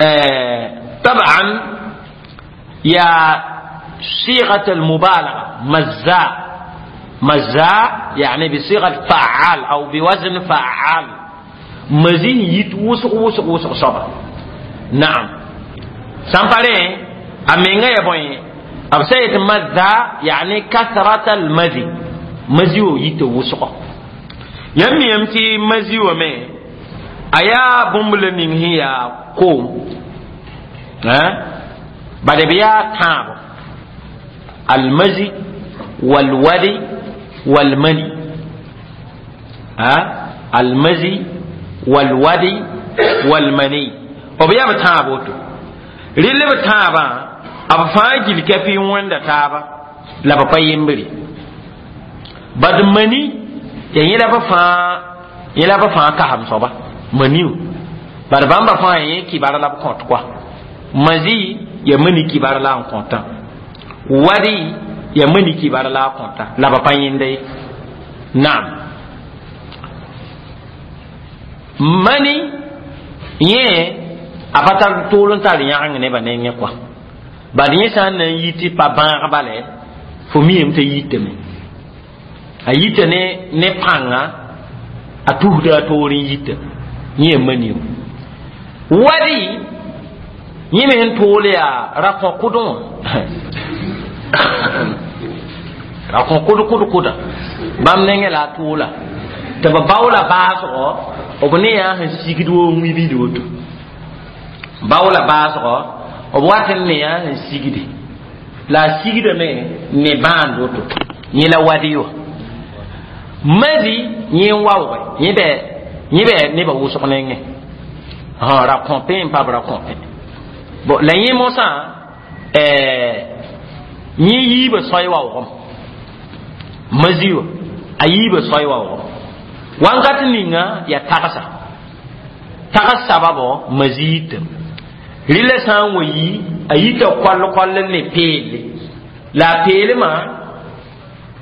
آه طبعا يا صيغة المبالغة مزاء مزاء يعني بصيغة فعال أو بوزن فعال مزي يتوسق وسق وسق صبر. نعم. سامبالي أمينغا يبوي أبسيت مزاء يعني كثرة المزي مزيو يتوسق يمي يمتي مزيو مي أيا بومبل نينهي كوم ها بعد بيا تاب المزي والودي والمني ها المزي والودي والمني وبيا بتابوتو ريلي بتابا أبفاجل كفي وندا تابا لا بقى يمبري بعد مني يعني لا بفا يلا بفا كهم صبا منيو بعد بام بفا يكي بارا لا بكونت كوا مزي يمني كي بارا لا كونتا ودي يمني كي بارا لا كونتا لا بفا يندي. نعم. mani yẽ a pa tar tʋʋl n tar yãgeng nebã nengẽ kɔa bad yẽ sã n na n yi tɩ pa bãag bale fo miame t'a yitame a yita ne ne pãnga a tusda a toor n yita yẽ ya mani wadi yẽ me sẽn tʋʋl yaa ra-kõ-kʋdẽ wã ra-kõ-kʋd kʋd kʋda bãmb nengẽ la a tʋʋla tɩ b baoola baasgɔ b ne yaa sẽn sigd woo wĩbid woto baoola baasgɔ b wat n ne yaa sẽn sigde la a sigdame ne bãand woto yẽ la wadi wã mazi yẽ n waooge yẽ bɛ yẽ bɛ nebã wʋsg nengẽ ra-kõpẽ n pa b ra-kõpẽ bon la yẽ mosã yẽ yiibã soay waoogem mazi wã a yiibã soay waoogem wankat ninga ya tagsa tags sababo mazi yitam rɩla sã n wa yi a yita koll koll ne peelle la a peelmã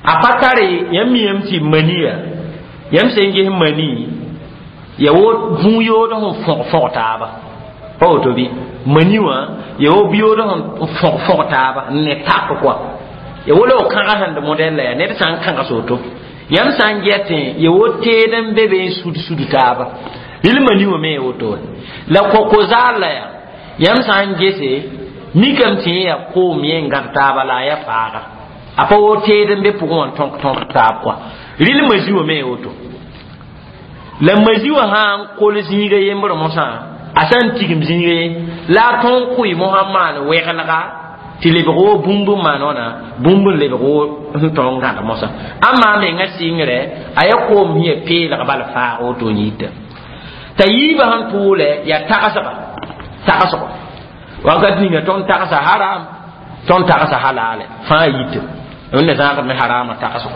a pa tare yãmb miame tɩ maniya yãmb sẽn ges mani ya wo bũu-yood sẽn fõg fõg taaba pa woto bɩ mani wã ya wo bi-yood sẽn fõg fõg taaba n ne tak kɔa ya wo la f kãga sẽn d modɛl la yaa ned sã n kãgs woto yãmb sã n gɛtẽ ya wo teed n be be n sud sud taaba rɩl mani wã me ya woto la koko-zaal la yaa yãmb sã n gese mikame tɩ yẽ yaa koom yẽ n gãd taaba la a yaa faaga a pa wo teed n be pʋgẽ wã n tõk tõk taab kɔa rɩl mazi wã me ya woto la mazi wã sã n kol zĩiga yembr mosã a sã n tigim zĩiga ye la a tõog kʋɩ mosã n maan wɛgelga tɩ lebg wo bũmb n maan wãna bũmb n lebg wo sẽn tõog n gãd mosã ãmma menga sɩngre a yaa koom sẽn yaa peelg bal faag woto n yita t'a yiibã sẽn tʋʋlɛ yaa tagsga tagsgo wakat ninga tõnd tagsa haram tõnd tagsa halale fãa yita wẽnna zãagd me harama tagsgo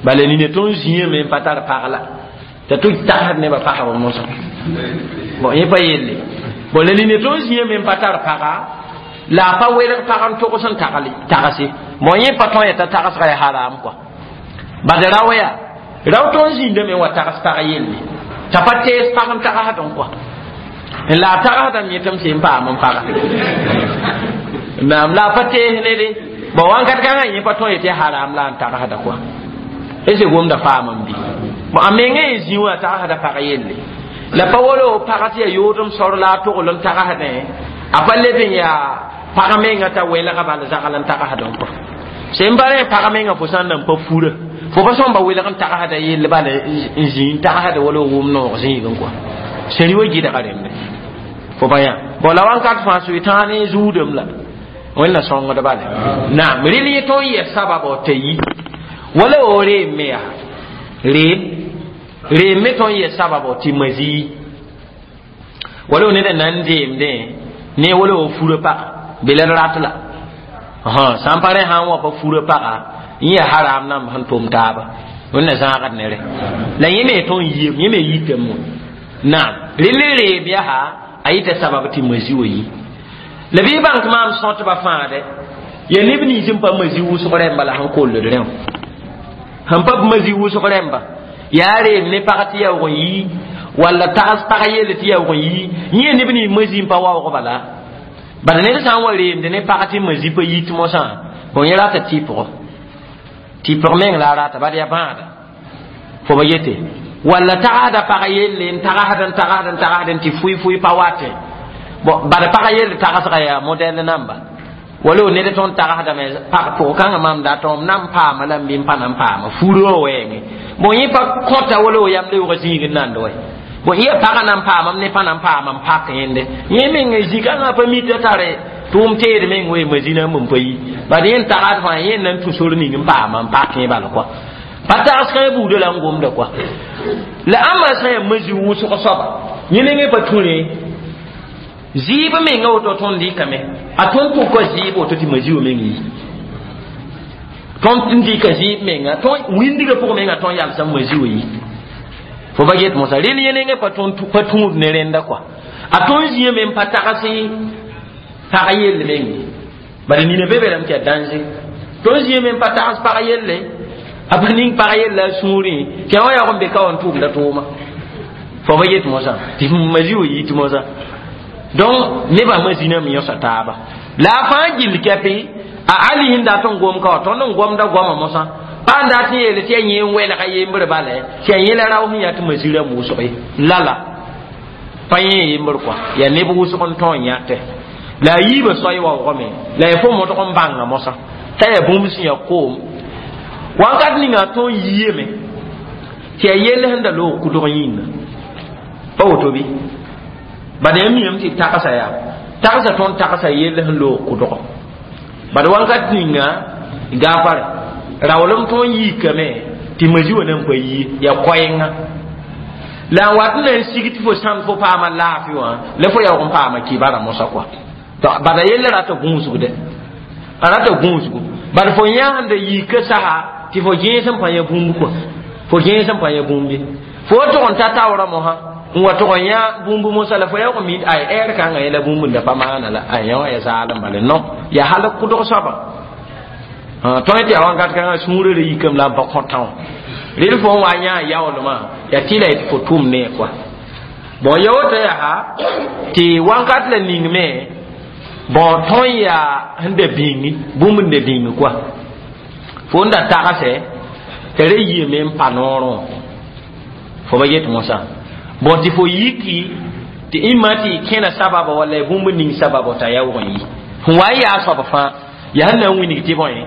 bala nina tõnd zĩame n pa tar pagla t'a tʋ tagsd nebã pagba mosã bon yẽ pa yelle bon la nina tõnd zĩã me n pa tar paga la a pa welg pag n togs n tagse bon yẽ pa tõe t'a tagsga ya haram kɔa bad rao yaa rao tõnd zĩndame n wa tags pag yelle t'a pa tees pag n tagsd n kɔa n la a tagsdame yẽtame sẽn paam n paga naam la a pa tees nede bon wãnkat kãngã yẽ pa tõe tɩ haram la n tagsda kɔa est ce gomda faam n bɩ bon a mengã ye zĩ wã tagsda pag yelle la pa wolo pag tɩ yaa yoodem sor la a togl n tagsdẽ a pa leb n yaa pag menga t'a welga bal zagl n tagsd n kɔ sẽn pa rẽ pag menga fo sã n nan pa fura fo pa sõmba welg n tagsda yell bal n zĩ n tagsda wala wʋm noog zĩig n kɔa sẽn wa gɩdga rẽmbe fo pa yã bon la wãnkat fãa soe-tãag ne zuudem la wẽnna sõngd bale naam rɩl yẽ tõnd yɛ sabab t'a yi wala o reem me yaa reem reem me tõnd yɛ sabab tɩ mazi wala o neda nan deemdẽ ne wala o fura paga be la d rat la sã n pa rẽ sã n wa pa fura paga n yaa haram namb sẽn tʋm taaba wẽnna zãagd ne rẽ la yẽ me tõnd yiem yẽ me yitame naam rel reem yaa a yita sabab tɩ mazi wa yi la bɩ bãng tɩ maam sõtba fãade ya neb nins n pa mazi wʋsg rẽmba la sẽn kolld rẽ wã sẽn pa mazi wʋsg rẽmba yaa reem ne pag tɩ yaoog n yi walla tags pag yelle tɩ yaoog n yi yẽ neb nins mazi n pa waoog bala bala ned sã n wa reemde ne pag tɩ mazi pa yit mosã bon yẽ rata tɩpgo tɩpg meng la a rata bad yaa bãada fo ba yete walla tagsda pag yelle n tagsd n tagsd n tagsd n tɩ fʋɩ-fʋɩ pa watẽ bon bad pag yelle tagsga yaa modɛl namba wala o ned tõnd tagsdame pag pʋg kãngã maam dat m na n paama la n bɩ n pa na n paama furã wã wɛɛngẽ bon yẽ pa kõta wala o yam leoogã zĩig n nand wɛ bon yẽ pagã na n paamam ne pa na n paama n pak yẽnde yẽ meng zĩ-kãngã pa mita tare tʋʋm teed meng wee mazĩna n pa yi bad yẽ n tagsd fãa yẽ na n tũ sor ning n paama n pak yẽ bal kɔa pa tags kãe buudã la n gomda kɔa la ãmba sã yaa mazi wʋsg soaba yẽ nengẽ pa tũ rẽ zɩɩb menga woto tõnd dɩkame a tõnd pʋka zɩɩb woto tɩ mazi wa meng yi tõnd n dɩka zɩɩb menga tõnd wĩndgã pʋg menga tõnd yalsã mazi wa yi fo ba get mosã rel yẽ nengẽ pa pa tũud ne rẽnda kɔa a tõnd zĩã me n pa tags pag yell meng bala nina be be lame tɩ yaa danger tõnd zĩã me n pa tags pag yelle a pa ning pag yella a sũurẽ tɩ a wã yaoog n be ka wa n tʋʋmda tʋʋma fo ba get mosã tɩ mazi wa yit mosã donc nebã maziname yõsa taaba la a fãa gill kɛpɩ a ali sẽn dat n gom ka wa tõnd n gomda goama mosã pa n dat n yeele tɩ yaa yẽ n welga yembr bala tɩ yaa yẽ la rao sẽn yaa tɩ mazi rãmb wʋsg ye lala pa yẽ yembr kɔa yaa neb wʋsg n tõog n yãtɛ la a yiibã soay waoogame la yaa fo modg n bãnga mosã t'a yaa bũmb sẽn yaa koom wãnkat ninga tõog yiame tɩ yaa yell sẽn da loog kudg yĩnga pa woto bɩ bad yãmb miame tɩ tagsa yaa tagsa tõnd tagsa yell sẽn loog kʋdgo bad wãnkat ninga gaafare raoolem tõnd yiikame tɩ mazi wa nan pa yi yaa koɛɛnga la n wat n na n sig tɩ fo sãnd fo paama laafɩ wã la fo yaoog n paama kibara mosã kɔa bad a yella rata gũusgde a rata gũusgu bad fo yã sẽn da yiika sasa tɩ fo gẽes n pa yã bũmb kɔa fo gẽes n pa yã bũmb ye fo tog n ta taoorã mosã n wa tog n yã bũmb mosã la fo yaoog n mi ay ɛɛr kãngã yẽla bũmb n da pa maana la a yã wã ya zaalem bale non yaa hal kʋdg soabã tõe tɩ yaa wãnkat kãngã sũurã ra yikame la n pa kõtã wã rel fo n wa yã yaoolmã yaa tɩ la yetɩ fo tʋm ne kɔa bon ya woto yaa tɩ wãnkat la ningme bon tõnd yaa sẽn da bĩngi bũmb n da bĩng kɔa fo n da tagsɛ t'a ra yiame n pa noorẽ fo ba yet mosã bon tɩ fo yiki tɩ ĩmma tɩ y kẽna sababa walla y bũmb ning sababa t'a yaoog n yi sẽn wa n yaa soab fãa yaa sẽn na n wilg tɩ bõe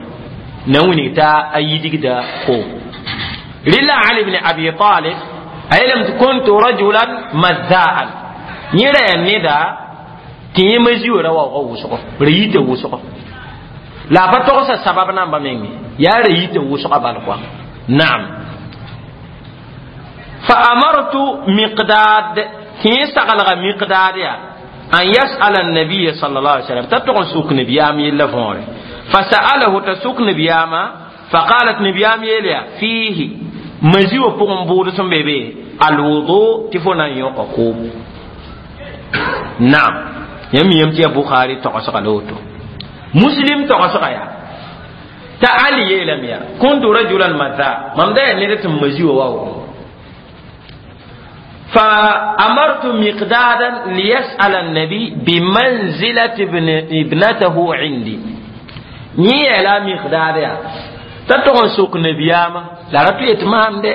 na n wilg t'a a yidgda koom rɩla ali bn abi talib a yeelame tɩ kuntu rajulan mazzaan yẽ ra yaa neda tɩ yẽ mazi wa ra waoogã wʋsgo ra yita wʋsgo la a pa togsa sabab namba menge yaa ra yita wʋsga bal kɔa naam fa amartu miqdad tɩ yẽ saglga miqdad yaa an yas'ala annabiya sallallahu alaihi wasallam t'a tog n suk nabiyaam yella võore fasa'alahu t'a suk nabiyaama faqalat nabiyaam yeelya fiihi mazi wã pʋgẽ bʋʋd sẽn be be Alwudu tɩ fo na n yõka koom. Naam, yãmb miyame tɩ yaa Bukhari togsga la woto, Muslim togsga yaa t'a Ali yeelame yaa: kuntu rajulan madha, mam da yaa ned tɩ m ma zi wa waoogẽ. فأمرت مقدادا ليسأل النبي بمنزلة ابن ابنته عندي. ني لا مقداد يا تتون سوق نبياما لا رتو يتمام دي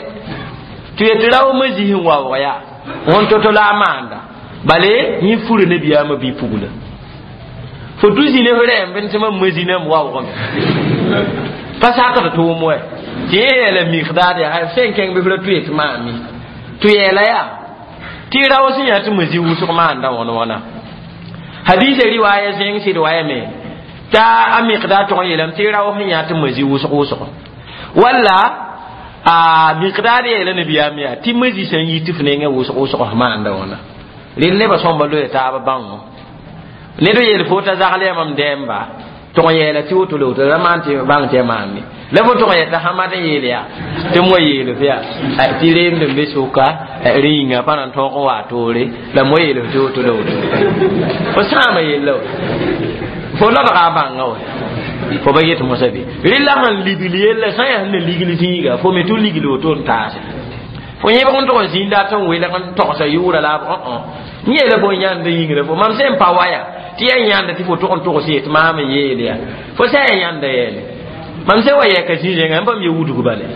تيتراو مزيه واويا on toto la manda bale ni furu nabiyama bi pugula fo duzi ne hore ben tɩ mam mazinam waoogame pa sakd tʋʋm wɛ tɩ yẽ yeela miqdaad yaa sẽn kẽng bɩ f ra tʋ yetɩ maame tɩ yeela yaa tɩ rao sẽn yaa tɩ mazi wʋsg maanda wãn wãna. Hadisa riwaaya zẽng sɩd wayame t'a a miqdaad tʋg n yeelame tɩ rao sẽn yaa tɩ mazi wʋsg wʋsg walla a miqdaad yeela nabiyaam yaa tɩ mazi sẽn yi tɩ f nengẽ wʋsg wʋsg maanda wãna. Rel nebã sõmba loya taaba bãngo ned yeel fo t'a zagl yaa mam dɛɛmba tʋg n yeela tɩ woto la woto la maan tɩ bãng tɩ ya maame la fo tʋg n yɛta hamad n yeel yaa tɩ m wa yeel f yaa tɩ reemd n be sʋka rẽ yĩnga pa na n tõog n waa toore la m wa yeel f tɩ woto la woto fo sãama yella wa fo lodga a bãnga wa fo ba yet mosã bɩ rɩla sẽn ligl yella sã n yaa sẽn na ligl zĩiga fo me tɩ ligl woto n taase fo yẽbg n tʋg n zĩnda tɩ n welg n togsa yʋʋra la b yẽ yeela fo n yãnd yĩngra fo mam sẽn pa waya tɩ yaa yãnda tɩ fo tʋg n togs yetɩ maam n yeel yaa fo sã yaa yãnda yeele mam sẽn wa yɛka zĩ-zẽnga n bãmb ye wudg bale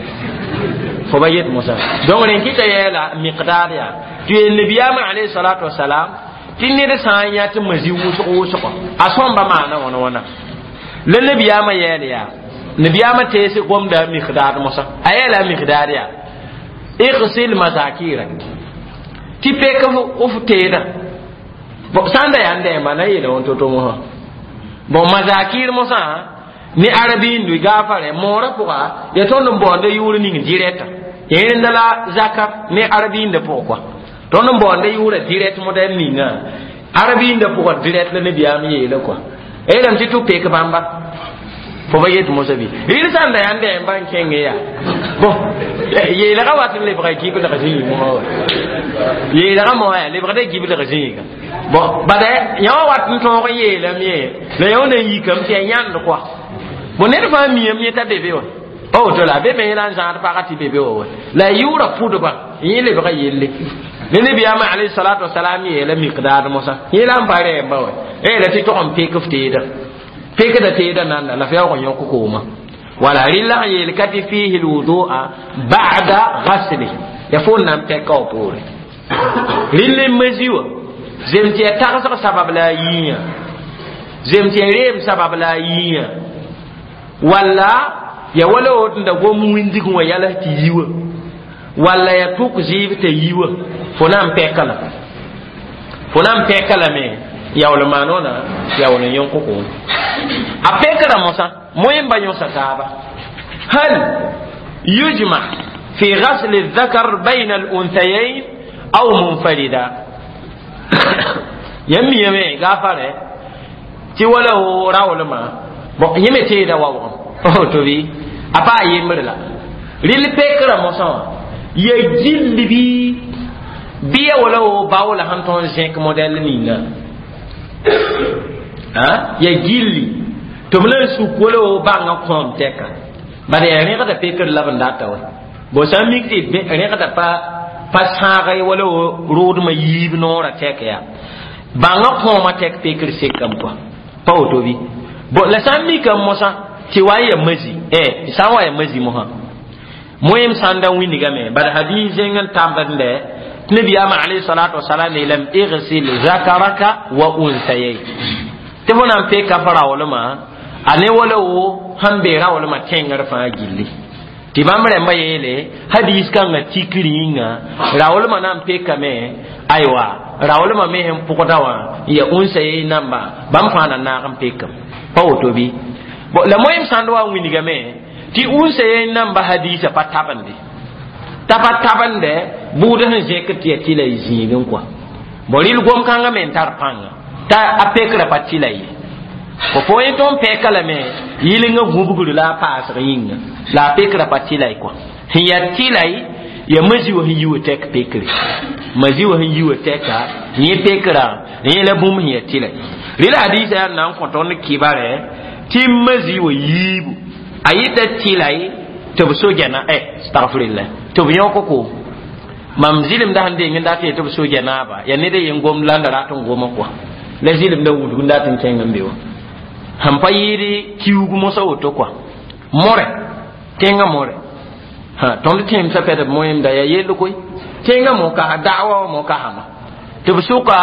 fo ba yet mosã. Donc rẽn kɩta yeela miqdaad yaa tɩ yeel nabiyaamã alayhi salatu wasalam tɩ ned sã n yã tɩ mazi wʋsg wʋsgo a sõmba maana wãna wãna la nabiyaamã yeel yaa nabiyaamã tees gomda miqdaad mosã a yeela a miqdaad yaa igsil mazakirak tɩ pek f teeda bon sã n da yaa n dɛɛmba na yeela wẽn to-to mosã. Bon, mazakir mosã ne arabiindu gaafare moorã pʋga yaa tõnd n baoonda yʋʋr ning dirɛta yẽrenda la zakar ne arabiinda pʋgẽ kɔa tõnd n baoonda yʋʋra dirɛt modɛl ninga arabiinda pʋga dirɛt la nabiyaam yeela kɔa yeelame tɩ tɩ pek bãmba fo ba yet mosã bɩ rɩl sã n da yaa n dɛɛmba n kẽnge yaa bon yeelgã wat n lebga giblg zĩig mosã wa yeelgã mosã yaa lebgda giblg zĩiga bon bada yã wã wat n tõog n yeelame ye la yã wã na n yikame tɩ yaa yãnd kɔa bon ned fãa miame yẽ t'a bebe wã pa woto la be me yẽla n zãad pagã tɩ bebe wa wa la a yʋʋra pʋdba yẽ lebga yelle ne nabiyaamã alayhi salatu wasalam yeela miqdaad mosã yẽ la n pa rɛɛmba wa yeela tɩ tog n pek f teeda pekda teeda nanda la f yaoog n yõk kooma wala rɩlla sẽn yeel ka tɩ fiihi lwudua ba'da gasli ya fo n na n pɛka wa poore rɩll n mazi wã zem tɩ ya tagsg sabab la a yiiyã zem tɩ ya reem sabab la a yiiyã walla ya wala wot n da gom windig wã yals tɩ yi wã walla ya tʋk zɩɩb t'a yi wã fo na n pɛka la fo na n pɛka lame yaool maan wãna yaool n yõk koom a pɛkra mosã moẽmba yõsa taaba hal yujma fi غسل الذكر بين الأنثيين أو منفردا yãmb miyame gaafare tɩ wala wo raoolmã bon yẽ me teeda waoogem to bɩ a pa a yembre la rɩl pekra mosã wã ya gill bɩ bɩ ya wala wo baoola sẽn tõnd zẽk modɛl ninga ya gilli tɩ b la n suk wala wo bãngã kõom tɛka bad yaa rẽgda pekr la b n data wa bon sã n mik tɩ rẽgda pa pa sãag wala wo rʋʋdmã yiib noorã tɛk yaa bãngã kõomã tɛk pekr sekame kɔa pa woto bɩ bon la sã n mikame mosã tɩ wa n ya mazi eh sã n wa ya mazi mosã moẽem sãn da wĩnigame bad hadis zẽng n tãmbd tɩ nabiyaamã alayhi salatu wasalam yeelame igsil zakaraka wa unsayay tɩ fo na n peka f raoolmã a ne wala wo sẽn be raoolmã tẽngr fãa gilli tɩ bãmb rãmbã yeele hadis kãngã tikr yĩnga raoolmã na n pekame aywa raoolmã me sẽn pʋgda wã n ya unsayay namba bãmb fãa na naag n pekame pa woto bɩ bon la moẽem sãnd wa n wĩnigame tɩ unsayay namba hadisa pa tabende t'a pa tabende bʋʋd sẽn zẽkd tɩ ya tɩ la y zĩigẽ kɔa bon rɩl gom-kãngã me n tar pãnga t'a a pekra pa tɩ la ye fo fo yẽ tõnd pɛka lame yɩlengã gũbgr la a paasg yĩnga la a pekra pa tɩ la y kɔa sẽn yaa tɩ la y Ya mazi wa sẽn yi wa tɛk pekre mazi wa sẽn yi wa tɛka yẽ pekrã yẽ la bũmb sẽn ya tɩlɛ rɩla hadiisa yaa na n kõ tõnd kibare tɩ mazi wa yiibu a yɩta tɩlay tɩ b so gɛna ɛ astagfirila tɩ b yõk koom mam zɩlemda sẽn deng n dat yetɩ b so gɛnaaba yaa ned yen gomd la n da rat n goma kɔa la zɩlemda wudg n dat n kẽng n be wã sẽn pa yɩɩd kiuug mosã woto kɔa more tẽngã more ha tõnd tẽemsã pɛdb moẽmda yaa yell koe tẽngã mo ka da'wa wã mo kasama tɩ b sʋka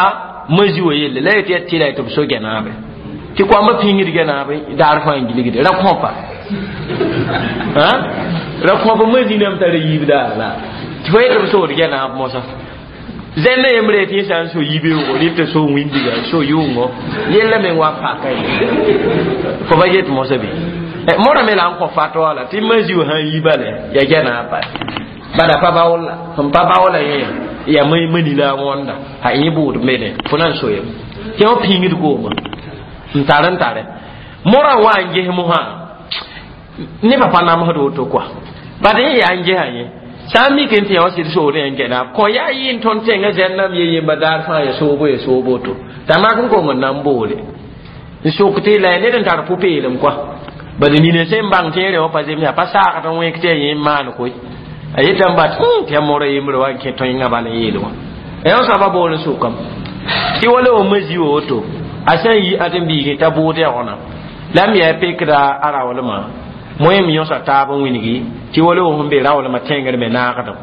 mazi wa yelle la yetɩ yaa tɩla tɩ b so gɛnaabe tɩ koamba pĩngd gɛnaabe daar fãa n gilgde ra kõpa ra kõpa mazi nam tara yiib daar la tɩ fo yetɩ b sood gɛnaab mosã zẽnda yembre tɩ yẽ sã n so yibeoogo rɩ tɩ so wĩndiga so yʋʋngo yella meng wa paka ye fo ba get mosã be mora me la n kõ fatwa la tɩ mazi wã sãn yi bale ya gɛnaab bale bala pa baoola sẽn pa baoola yẽ ya mani la a wõnda a yẽ bʋʋd mene fo na n soyem tɩ wã pĩngd kooma n tar n tare mora wa n ges mosã nebã pa namsd woto koa bad yẽ yaa n gesa yẽ sã n mik n tɩ yã wã sɩd sood yã n gɛnaab kõ yaa yɩ n tõnd tẽngã zɛnnam ye yemba daar fãa ya soobo ya soobo to t'a mak n kong n na n boole n sok tɩ la ya ned n tar pʋ-peelem koa bad nina sẽn bãng tɩ yẽ wã pa zems yaa pa saagd n wẽk tɩ ya yẽ n maan koe a yetame bat tɩ ya mora yembre wa n kẽ tõengã bala n yeel wã yã soaba bool n sʋkame tɩ wala wa mazi wa woto a sã n yi ãdem-biigẽ t'a bʋʋd yagona la m yaa pekda a raoolmã moẽm yõsa taab n wilgi tɩ wala wa sẽn be raoolmã tẽngr me naagdem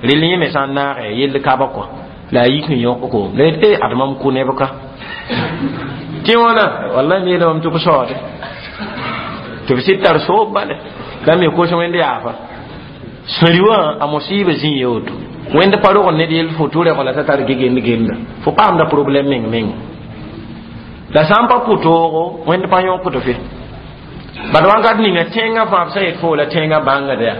rel yẽ me sã n naage yell kaba kɔa la a yik n yõk koom la yet e ad mam kʋ neb ka tɩ wãna walla m yeelame tɩ b saoode tɩ b sɩd tar soob bale la me kos wẽnd yaafa sẽri wã a mosiiba zĩ ye woto wẽnd pa rog ned yell fo tʋ rɛg la t'a tar gegend genda fo paamda problème meng meng la sã n pa pʋtoogo wẽnd pa yõkd fe bad wãnkat ninga tẽngã fãa b sã yet fo la tẽngã bãngda yaa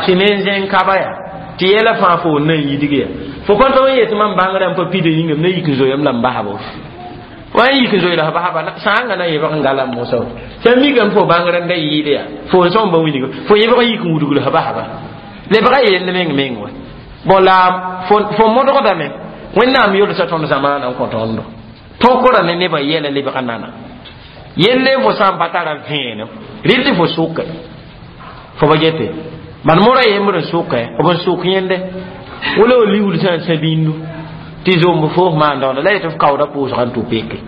tɩ ne n zẽng kaba yaa tɩ yɛla fãa fo n na n yidg yaa fo pa tog n yet mam bãngrã n pa pida yĩngame na yik n zoeem la n basbo wa n yik n zoe la f basba sãanga na yebg n galam mosã woto sã n mikame fo bãngr n da yɩɩd yaa fo n sõm ba wilg fo yebg n yik n wudg la f basba lebga yell meng meng wa bon la fo modgdame wẽnnaam yolsa tõnd zamaana n kõ tõndo tõkra ne nebã yɛla lebg nana yelle fo sã n pa tara vẽenem rɩl tɩ fo sʋke fo ba gete bad mora yembr n sʋke b n sʋk yẽnde wala wa liuud sã n sã bĩndu tɩ zomb foos maan daoonda la yetɩ f kaooda pʋʋsga n tʋ peke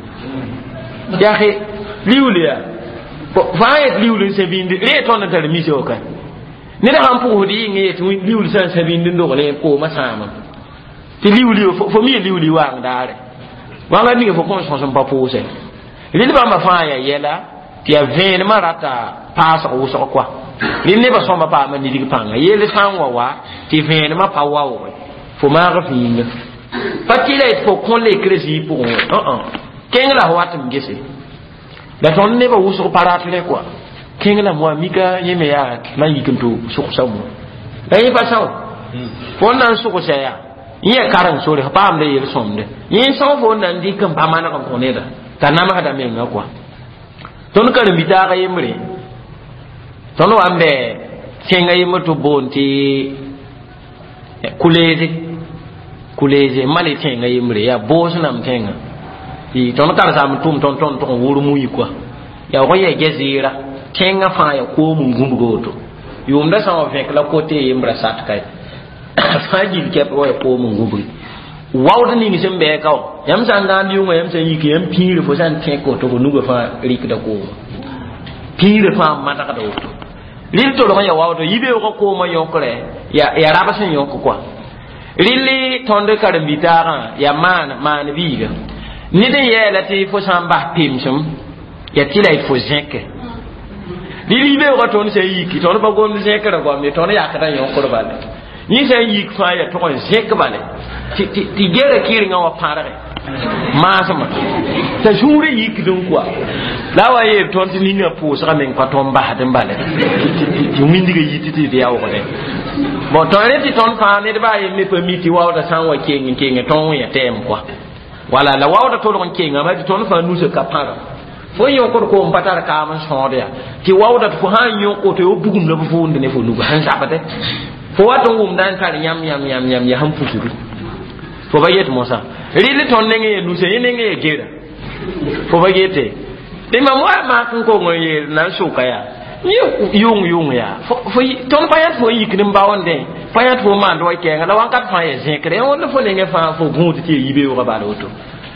yaa liuul yaa fãa yet liuul n sã bĩndi ree tõnd n tar mise wa ka ned sãn pʋgsd yɩng yetɩ liuul sã n sã bĩnd n dogl koomã sãamam tɩ liuuli fo mi liuuli waang daare wãnga ninga fo kõn sõs n pa pʋʋsɛ rɩl bãmba fãa yaa yɛla tɩ yaa vẽenemã rata paasg wʋsg koa rɩl nebã sõma paama nidg pãnga yell sã n wa wa tɩ vẽenemã pa waooge fo maag f yĩnga pa tɩ la yetɩ fo kõ lekrã zĩig pʋgẽ wã kẽng la f wat n gese la tõnd nebã wʋsg pa rat rẽ koa kẽng la moa mika yẽ me yaa la n yik n tʋ sʋgsa mo la yẽ pa sao fo n na n sʋgsa yaa yẽ yaa kareng sore f paamda yel-sõmde yẽ sõg fo n na n dɩk n pa maneg n kõ neda t'a namsda menga koa tõnd karen-bi-taag yembre tõnd wa n bɛ tẽngã yembr tɩ b boond tɩ kuleeze kuleeze mali tẽngã yembre yaa boos nam tẽngã tõnd karsam tʋm tõnd tõnd tʋg n wʋr mui koa yaa wg n yaa gɛ-zɩɩra tẽngã fãa yaa koom n gũbg woto yʋʋmda sã n wa vẽk la kote yembra sat kae fãa gil kɛp wa yaa koom n gũbgi waood ning sẽn bɛɛ ka wã yãmb sã n gãand yʋngã yãmb sã n yik yãmb pĩirã fo sã n tẽk woto fo nugã fãa rɩkda kooma pĩirã fãa madgda woto rɩl tolg n ya waoodã yibeoogã koomã yõkre yaa rab sẽn yõk koa rɩl tõnd karen-bi-taagã yaa maan maan biiga ned n yɛɛla tɩ fo sã n bas pemsem yaa tɩ la yetɩ fo zẽke rɩl yibeoogã tõnd sã n yiki tõnd pa gomd zẽkrã goam ye tõnd yakdã yõkr bale yẽ sã n yik fãa yaa tʋg n zẽk bale tɩ gera kɩrengã wa pãrge maasmã t'a sũurã yikd n koa la a wa yeel tõnd tɩ ninga pʋʋsgã meng pa tõnd basd n bale tɩ wĩndgã yit tɩ d yaoogdẽ bon tõnd rẽ tɩ tõnd fãa ned baa yem me pa mi tɩ waoodã sã n wa keng n kenge tõnd wẽ tɛɛm koa wala la waoodã tolg n kengame tɩ tõnd fãa nusã ka pãrg fo yõkd koom pa tar kaam n sõod yaa tɩ waoodã tɩ fo sã n yõk woto yo bugum la b vʋʋnd ne fo nuga sẽn zabde Fo wat n wʋmda n tar yãmb yãmb yãmb yãmb yaa sẽn pusdu. Fo ba yet mosã. Rɩl tõnd nengẽ ye nuse yẽ nengẽ ye gera. Fo ba yete. Tɩ mam wa mak n kong n yeel na n sʋka yaa. Yẽ yʋng yʋng yaa. Fo tõnd pa yãt fo n yikd n baoondẽ. Pa yãt fo n maand wa kɛɛngã la wãnkat fãa yaa zẽkre. Wẽnd fo nengẽ fãa fo gũud tɩ ya yibeoogã bala woto.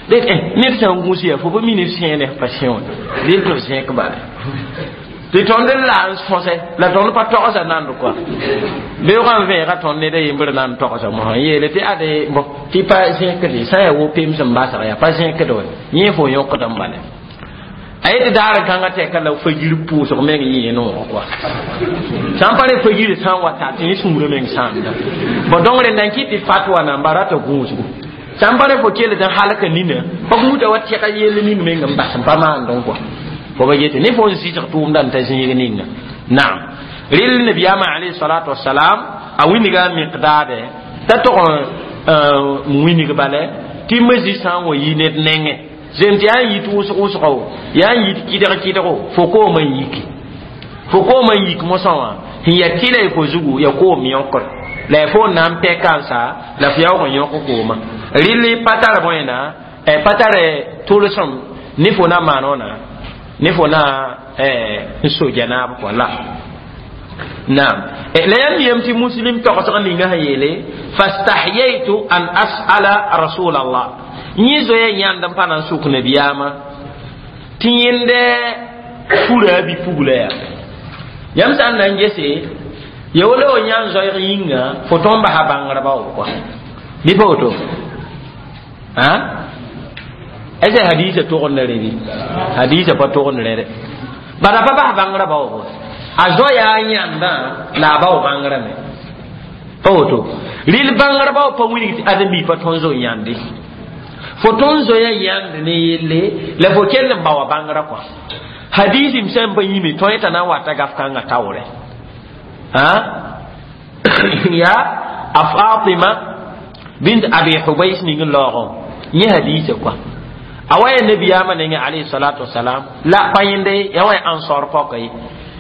Dẽ ned sã n gũus yaa fo pa mi ne f sẽene f pa sẽ wã. Rɩl tɩ f zẽk bala. Tɩ tõnd n la n sõsɛ la tõnd pa togsa nand kɔa beoogã n vẽega tõnd ned a yembr na n togsa mosã n yeele tɩ ade bõ tɩ pa zẽkde sã n yaa wo pems n basg yaa pa zẽkd wa yẽ fo yõkd n bala a yetɩ daar kãngã tɛka la fagir pʋʋsg meng yẽ noogã kɔa sã n pa re fagir sã n wa ta tɩ yẽ sũurã meng sãamda bõ donc rẽnda n kɩt tɩ fatwa namba rata gũusgu sã n pa re fo kell tɩ halka nina pa gũuda wa tɛga yell ning meng n bas n pa maandẽ kɔa fo ba yete ne fo n zɩsg tʋʋmda n ta zĩig ninga naam rɩl nabiyaamã alayhi salatu wasalam a wĩnga miqdaade t'a tog n wĩnig bale tɩ mozi sã n wa yi ned nengẽ zem tɩ yaa n yit wʋsg wʋsgo yaa n yit kɩdg kɩdgo fo koomã n yiki fo koomã n yik mosã wã sẽn yaa tɩla y fo zugu ya koom yõkr la ya fo n na n pɛka n sa la f yaoog n yõk koomã rɩl pa tar bõena pa tar tʋlsem ne fo na maan wãna ne fo na n so janaab kɔ la naam la yãmb yem tɩ muslim togsg ninga sẽn yeele fastahyaytu an as'ala rasul allah yẽ zoya yãnd n pa na n sʋk nabiyaamã tɩ yẽndɛ fura a bi-pugla yaa yãmb sã n na n gese ya wala wa yãn zoeeg yĩnga fo tõnd basa bãngrba w kɔa bɩ pa woto a est hadisa togd rẽ bɩ hadisa pa togd rẽ dɛ bala pa bas bãngrã baoogo a zoa yaa yãndã la a bao bãngrã me pa woto rɩl bãngrã bao pa wilg tɩ ãdem-bi pa tõnd zo yãnde fo tõnd zoya yãnd ne yelle la fo kell n baoa bãngrã kɔa hadisim sẽn pa yĩme tõe t'a na n wata gaf kãngã taoorɛ yaa a Fatima bint Abi Hubays ning n laoogẽ yẽ hadisa kɔa awa ya nabiyama nenge alayhi salatu wassalam la payinde ya wa ansar pokai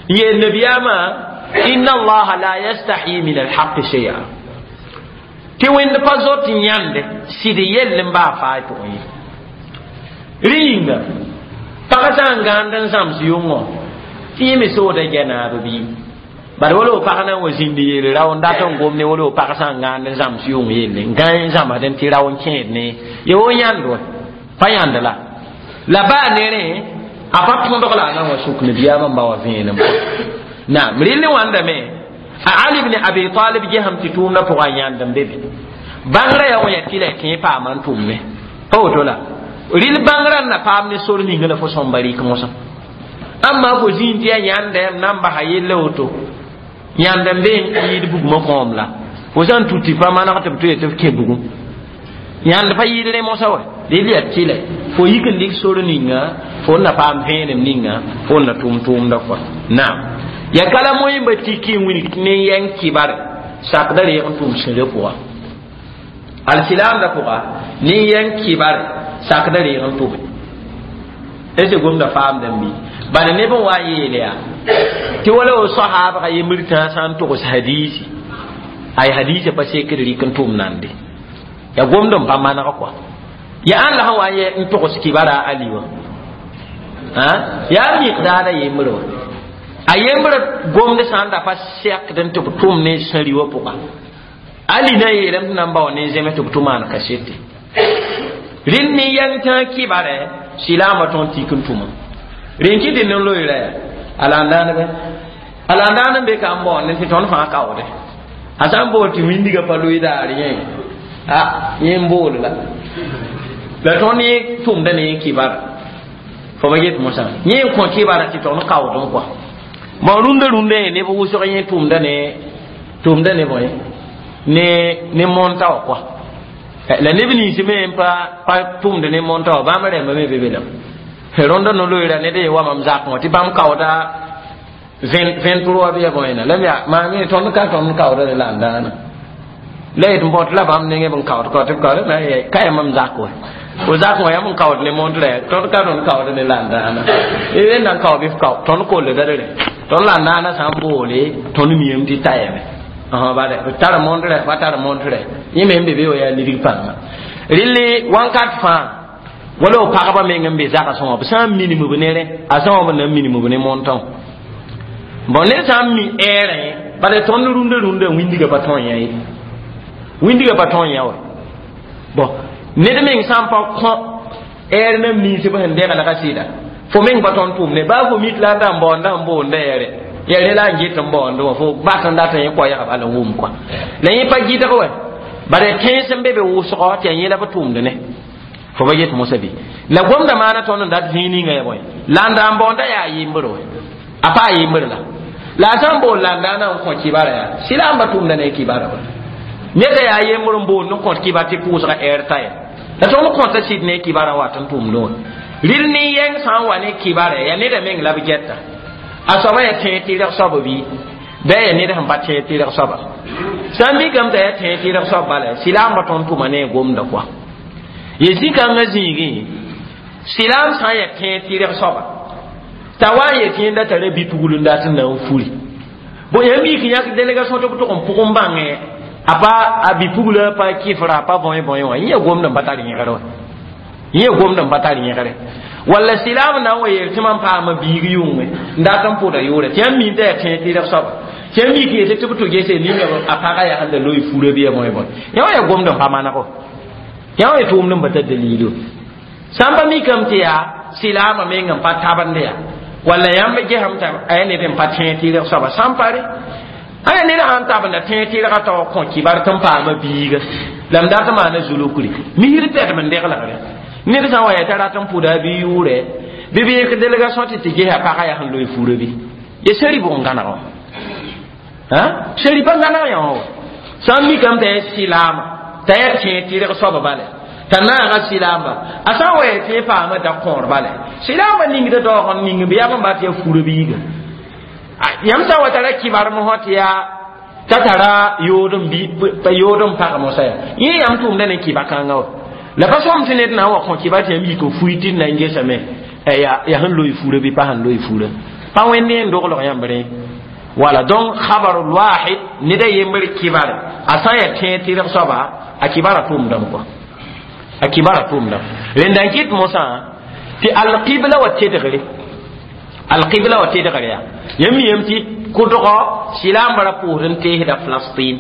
ye nabiyama inna allaha la yastahi min alhaq shay'a ti wend pa zot nyande sidi yellen ba fa to yi ringa pagasa ngandan sams yungo ti mi so da jana bi bar wolo pagana wo zindi yele raw nda ton gomne wolo pagasa ngandan sams yung yelle ngan zama den ti raw kẽed ne ye wo yãndo pa yãnd la la baa nere a pa tõdg la a na n wa sʋk nabiyaamã n ba wa vẽenem naam rɩl ne wãndame a Ali ibn Abi Talib gesame tɩ tʋʋmdã pʋgã a yãnd n be be bãngrã yaa wã yaa tɩ la y kẽ paama n tʋmme pa woto la rɩl bãngrã n na paam ne sor ninga la fo sõmba rɩk mosã ãmma fo zĩig tɩ yaa yãnda yam na n basa yella woto yãnd n be n yɩɩd bugmã kõom la fo sã n tu tɩ pa maneg tɩ b tʋ ye tɩ f kẽ bugum yãnd pa yɩɩd rẽ mosã wa rɩl yaa tɩlɛ fo yik n dɩk sor ninga fo n na paam vẽenem ninga fo n na tʋʋm tʋʋmda kɔa naam ya kala moẽmba tiki n wilg tɩ ne yɛng kɩbar sakda reeg n tʋʋm sẽrã pʋga alsilaamdã pʋga ne yɛng kɩbar sakda reeg n tʋme est ce gomda faamdã n bi bala neb n wa n yeele yaa tɩ wala wo soahaabga yembr tãa sã n togs hadiisi ay hadiisã pa sekd rɩk n tʋʋm nande ya gomd n pa maneg kɔa ya ãn la sẽn wa n yɛ n togs kibara a ali wã yaa miqdaada yembr wã a yembr gomd sã n da pa sɛkd n tɩ b tʋm ne sẽri wã pʋga ali na yeelame tɩ na n bao ne zẽms tɩ b tʋ maan kasete rẽnd ne yãng tãa kɩbarɛ silaamã tõnd tik n tʋma rẽn kɩ tɩ nen-loeera yaa alandãanbɛ alandãan n be ka n baoonde tɩ tõnd fãa kaoode a sã n bool tɩ wĩndiga pa loe daar yẽ a yẽ n bool la la tõnd yẽ tʋmda ne yẽ kɩbar fo ba get mosã yẽ n kõ kɩbara tɩ tõnd kaood n kɔa bon rũndã rũndã yẽ neb wʋsg yẽ tʋmda ne tʋmda ne bõe ne ne monta wã kɔa la neb nins me n pa pa tʋmd ne monta wã bãmb rẽmba me be be lame rõndã no-loeera ned ye wa mam zakẽ wã tɩ bãmb kaooda vingt-trois bɩ ya bõena la yaa maa me tõnd ka tõnd kaooda ne la n dãana la yet n bõt la bãmb nengẽ b n kaood kao tɩ b kaood ka yaa mam zak wa fo zak wã yam n kaood ne montrã tõnd ka tõnd kaooda ne la n dãana n na n kao bɩ f kao tõnd kollda rẽ tõnd la n dãana sã n boole tõnd miyame tɩ tayame Bale tar montre pa tar montre yẽ me n be be wa yaa lidg pãnga rɩlli wãnkat fãa wala b pagba meng n be zagsẽ wã b sã n minim b ne rẽ a sã wã b na n minim b ne montã bon ned sã n mi ɛɛrẽ bala tõnd rũndã rũndã wĩndgã pa tõe yã ye wĩndgã pa tõe yã wa bon ned meng sã n pa kõ ɛɛr na miisb sẽn deglga sɩda fo meng pa tõnd tʋʋmde baa fo mit la n da n baoonda n boonda yɛre ya rẽ la n get n baoond wã fo bat n dat n yẽ koɛɛga bala n wʋm kɔa la yẽ pa gɩdg wɛ bara tẽns n be be wʋsgɔ tɩ yaa yẽ la b tʋʋmd ne fo ba yet mosã bɩ la gomda maana tõnd n dat zĩig ninga ya bõe la n da n baoonda yaa yembr wɛ a pa a yembr la la a sã n bool la n daana n kõ kibara yaa sɩlaamba tʋʋmda ne kibara wa neda yaa yembr n boond n kõt kibar tɩ pʋʋsga ɛɛr ta ya la tõnd kõta sɩd ne kibara wat n tʋʋmdẽ wã rɩl ne yɛng sã n wa ne kibara yaa neda meng la b gɛta a soaba yaa tẽeg tɩrg soaba bɩ bɩ yaa ned sẽn pa tẽeg tɩrg soaba sã n mikame t'a yaa tẽeg tɩrg soab bala sɩlaambã tõnd tʋma ne a gomda kɔa ye zĩ-kãngã zĩigẽ sɩlaam sã n yaa tẽeg tɩrg soaba t'a wa n yet yẽnda tara bi-pugl n dat n na n furi bon yãmb yik yãk délégation tɩ b tʋg n pʋgẽ bãngẽ a pa a bi-pugla pa kɩfra a pa bõe bõe wã yẽ yaa gomd n pa tar yẽgre wa yẽ yaa gomd n pa tar yẽgre walla sɩlaam na n wa yeel tɩ mam paama biig yʋngẽ n dat n pʋda yʋʋrɛ tɩ yãmb min t'a yaa tẽeg tɩrg soaba tɩ yãmb yik yetɩ tɩ b tʋ gese ninga a pagã yaa sẽn da loe fura bɩ ya bõe bõe yã wã yaa gomd n pa manego yã wã yaa tʋʋmd n pa tar dalilo sã n pa mikame tɩ yaa sɩlaamã meng n pa tabend yaa walla yãmb gesame t'a a yaa ned n pa tẽeg tɩrg soaba sã n pa re a yaa ned sãn tabenda tẽeg tɩrgã tao kõ kibar tɩ n paama biiga la m dat n maana zulukri misr pɛdem n deglgre ned sã n wa yaa t'a rat n pʋda a bi yʋʋrɛ bɩ b yẽk délégation tɩ tɩ gesa pagã yaa sẽn loe fura bɩ ye seri bʋg n gãneg wã seri pa gãneg yã wã sã n mikame t'a yaa sɩlaama t'a yaa tẽeg tɩrg soaba bala t'a naaga sɩlaamba a sã n wa yaa tẽeg paama da kõor bala sɩlaamba ningda daoog n ning bɩ yaa b n bat yaa fura biiga yãmb sã n wa tara kibar mosã tɩ yaa t'a tara yood n bi yood n pag mosã yaa yẽ yãmb tʋʋmda ne kiba kãngã wa la pa sõm tɩ ned na n wa kõ kiba tɩ yãmb yik n fui tɩ d na n gesame yaa sẽn loe fura bɩ pa sẽn loe fura pa wẽnd n doglg yãmb rẽ wala donc khabarul wahid ned a yembr kibar a sã n yaa tẽeg tɩrg soaba a kibara tʋʋmdame kɔa a kibara tʋʋmdame rẽnda n kɩt mosã tɩ alqibla wa tedgre alqibla wa tedgre yaa yãmb yam tɩ kʋdgɔ sɩlaambã ra pʋʋsd n teesda Falastin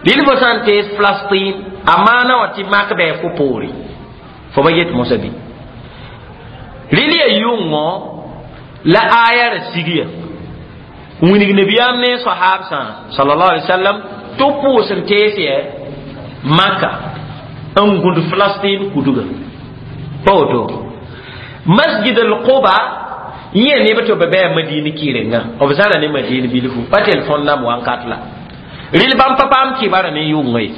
rɩl fo sã n tees Falastin a maana wã tɩ mak bɩ fo poore fo ba yet mosã bɩ rɩl yaa yʋngõ la aya ra sigya wilg nabiyaam ne sahabsã sallallahu alaihi wasallam tɩ b pʋʋs n tees yɛ maka n gũd Falastin kuduga pa woto masjid al-Quba yẽ neb tɩ b bɩ Madina kɩrenga b zãra ne Madina bilfu pa telefon nam wãnkat la rɩl bãmb pa paam kibara ne yʋnga ye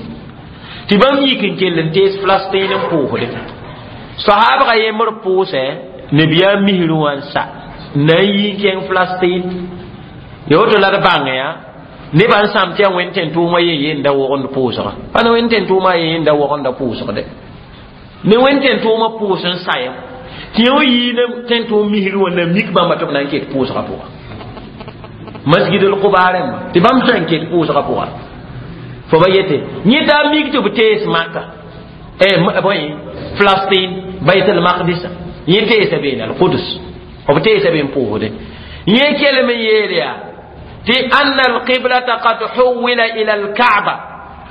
tɩ bãmb yik n kell n tees Falastin n pʋʋsde sahabga yembr pʋʋsɛ nabiyaam misrẽ wã n sa na n yi n kẽng Falastin ya woto la d bãng yaa nebã n sãm tɩ yaa wẽnd tẽn-tʋʋmã yen yenda wogend pʋʋsga pa ne wẽnd tẽn-tʋʋmã yen yenda wogenda pʋʋsgde ne wẽnd tẽn-tʋʋmã pʋʋs n sayem tɩ yẽ yii ne tẽn-tʋʋm misrẽ wã na mik bãmba tɩ b na n ket pʋʋsgã pʋga masjid al-Quba rẽmba tɩ bãmb sã n ket pʋʋsgã pʋga fo ba yete yẽ daa mik tɩ b tees maka bõe Falastin Bayt al-Maqdis yẽ teesa beene al-Qudus b teesa be n pʋʋsde yẽ kelem n yeel yaa tɩ anna alqiblata qad huwila ila alkaaba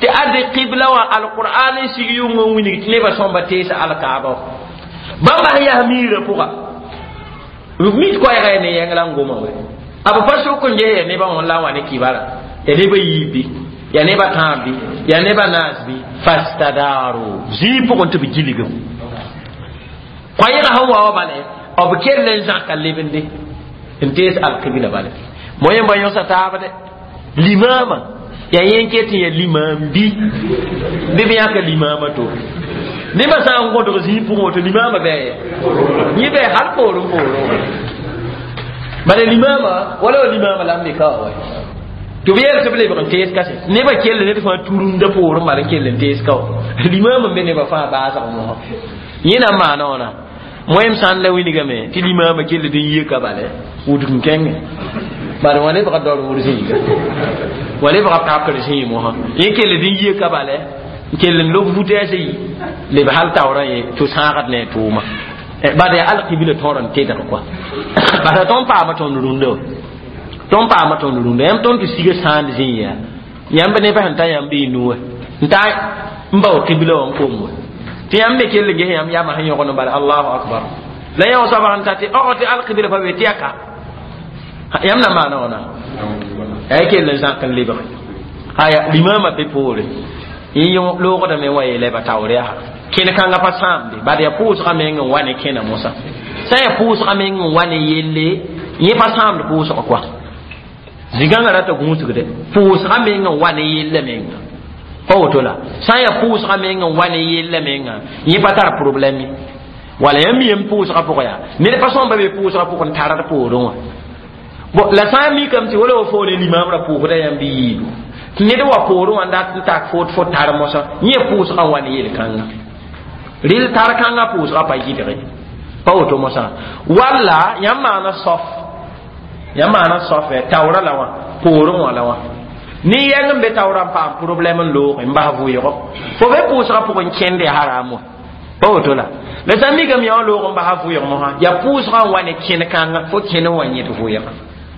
tɩ ade qibla wã alqur'an n sig yʋng n wilg tɩ nebã sõmba teesa alkaaba bãmba sẽn yaa miirã pʋga mit koɛɛga ya ne yẽng la n goma we a b pa sʋk n ges ya nebã wã la n wa ne kibara ya nebã yiib bɩ ya nebã tãab bɩ ya nebã naas bɩ fastadaru zĩig pʋgẽ tɩ b gilgem koɛɛga sẽn wa wa bale b kell n zãka lebende n tees alqibla bale mo yẽmba yõsa taab de limaama yaa yẽ ket n yaa limaam bi bɩ b yãka limaama to nebã sã n gõdg zĩig pʋgẽ woto limaama bɩ yẽ bɩ hal poorẽ poorẽ bala limaama wala wa limaama la n me ka wa tɩ b yeel tɩ b lebg n tees kase nebã kell ned fãa turunda poorẽ bala n kell n tees ka wa limaama n be nebã fãa baasg mosã yẽ na n maana wãna moyem sã n la wilgame tɩ limaama kell d n yeka bala wudg n kẽngẽ Bari wã lebga daoor wʋr zĩiga wa lebga pakr zĩig mosã yẽ kell n yie ka bala n kell n lob vutɛɛsã yi leb hal taoorã ye tɩ sãagd ne a tʋʋma bad yaa alkibla tõor n tedg kɔa bala tõnd paama tõnd rũndã wa tõnd paama tõnd rũndã yãmb tõnd tɩ siga sãand zĩig yaa yãmb nebã sẽn ta yãmb y nuwa n ta n bao kibla wã n kom wa tɩ yãmb me kell n ges yãmb yamã sẽn yõgd n bala allahu akbar la yã wã soaba sẽn ta tɩ ɔg tɩ alkibla pa be tɩ ya ka yãmb na maana wãna yaa kell n zãk n lebge aya limama be poore yẽ loogdame wa yeela ba taoor yaa kẽn-kãngã pa sãamde bad yaa pʋʋsgã meng n wa ne kẽna mosã sã n yaa pʋʋsgã meng n wa ne yelle yẽ pa sãamd pʋʋsg koa zigãngã rata gũusgde pʋʋsgã meng n wa ne yella menga pa woto la sã n yaa pʋʋsgã meng n wa ne yella menga yẽ pa tar problème ye wala yãmb yem pʋʋsgã pʋgã yaa ned pa sõmba be pʋʋsgã pʋgẽ n tard poorẽ wã bon la sã n mikame tɩ wala wa fo ne limamrã pʋʋsda yãmb yiibu tɩ ned wa poorẽ wã n dat n tak fo fo tar mosã yẽ pʋʋsgã n wa ne yel-kãngã rel tar kãngã pʋʋsgã pa yɩdge pa woto mosã walla yãmb maana sof yãmb maana sof taoorã la wã poorẽ wã la wã ne yɛng n be taoorã n paam problème n loog n bas vʋɩgo fo be pʋʋsgã pʋgẽ kẽnd ya haram wã pa woto la la sã n mikame yã wã loog n basa vʋɩg mosã yaa pʋʋsgã n wa ne kẽn-kãngã fo kẽn n wa yẽd vʋɩga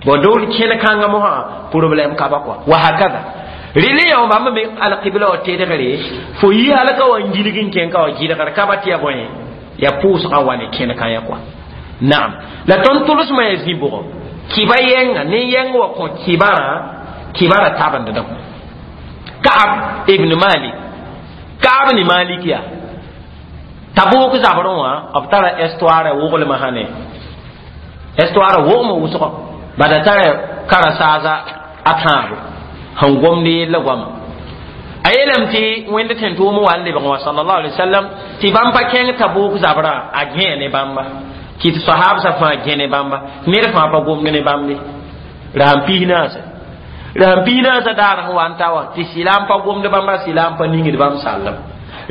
bon dol kẽn-kãngã mosã problème ka ba kɔa wa hakada rɩl yã bãmb me alqibla wa tedgre fo yi hal ka wa n gilg n kẽn ka wa gɩlgr ka ba tɩ ya bõe ya pʋʋsgã wa ne kẽn-kã ya kɔa naam la tõnd tʋlsmã ya zĩ bʋgɔ kiba yɛnga ne yɛng wa kõ kibarã kibara tabendda Ka'ab ibn Malik Ka'ab ni Malik ya Tabuk zabrẽ wã b tara histoire woglmã sã ne histoire wogmã wʋsgɔ bada tara kara-saasa a tãabo sẽn gomd yella goama a yeelame tɩ wẽnd tẽn-tʋʋm wa n lebg wã sallallahu alaihi wasallam tɩ bãmb pa kẽng Tabuk zabrã a gẽe ne bãmba kɩt sahabsã fãa gẽ ne bãmba ned fãa pa gomd ne bãmb ye rasam pis naasa rasam pis naasã daar sẽn wa n ta wã tɩ sɩla n pa gomd bãmba sɩla n pa ningd bãmb sallem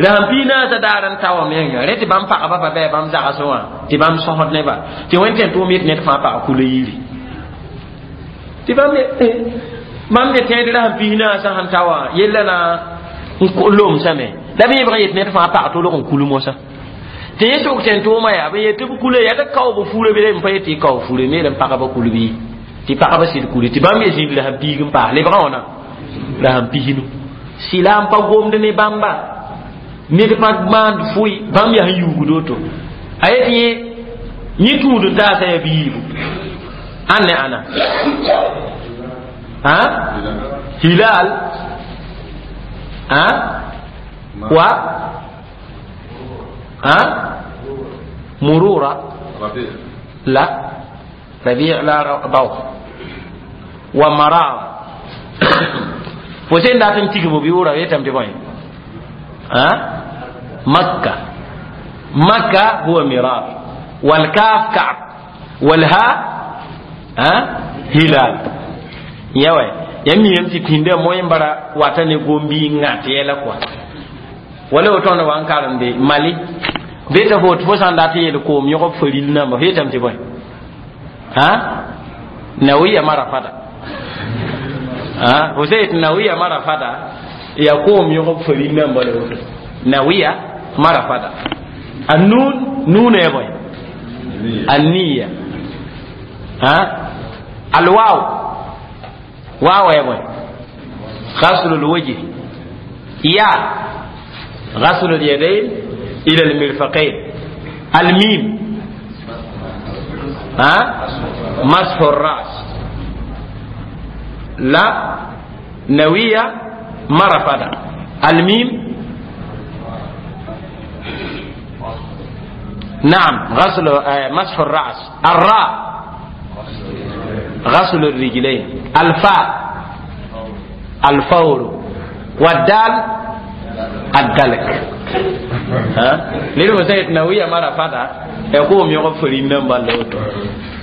rasam pis naasã daar n ta wã menga rẽ tɩ bãmb pagba pa bɩ bãmb zagsẽ wã tɩ bãmb sõsd neba tɩ wẽnd tẽn-tʋʋm yet ned fãa pag kula yiri tɩ bãmb bãmb ne tẽed rasam pis naasã sẽn ta wã yella na n lomsame la b yẽbg yet ned fãa pag tolg n kul mosã tɩ yẽ sʋk tẽn-tʋʋmã yaa b yet tɩ b kula yaa tɩ kaob furã bɩ n pa yet tɩ kao fure me n pagba kul bɩ tɩ pagba sɩd kule tɩ bãmb ye zĩnd rasam piig n paas lebgã wãna rasam pisnu sɩla n pa gomd ne bãmba ned pa maand fʋɩ bãmb yaa sẽn yuugd woto a yet yẽ yẽ tũud n taasã yaa biibu ãn ne ãna ha hilal ha wa ha murura la rabi' la baw wa marar fo sẽn dat n tigmo bɩ wʋra yetame tɩ bõe ha makka makka huwa mirar والكاف كعب والها ها hilal yawa yam yam tɩ pĩndã moẽ bara wata ne gombi n ŋat yɛla kɔa wala woto tõnd wa n karemde mali be t'a fo tɩ fo sã n dat n yeel koom yõgb faril namba f yetame tɩ bõe ha nawiya mara fada ha fo sã yet nawiya mara fada ya koom yõgb faril namba la woto nawiya mara fada النون نون يا بوي النية ها الواو واو يا بوي غسل الوجه يا غسل اليدين إلى المرفقين الميم ها مسح الرأس لا نوية مرفدة الميم نعم غسل مسح الرأس الراء غسل الرجلين الفاء الفور والدال الدلك ها ليلو سيد نوية مرة فدا يقوم يغفر النمبر لوتو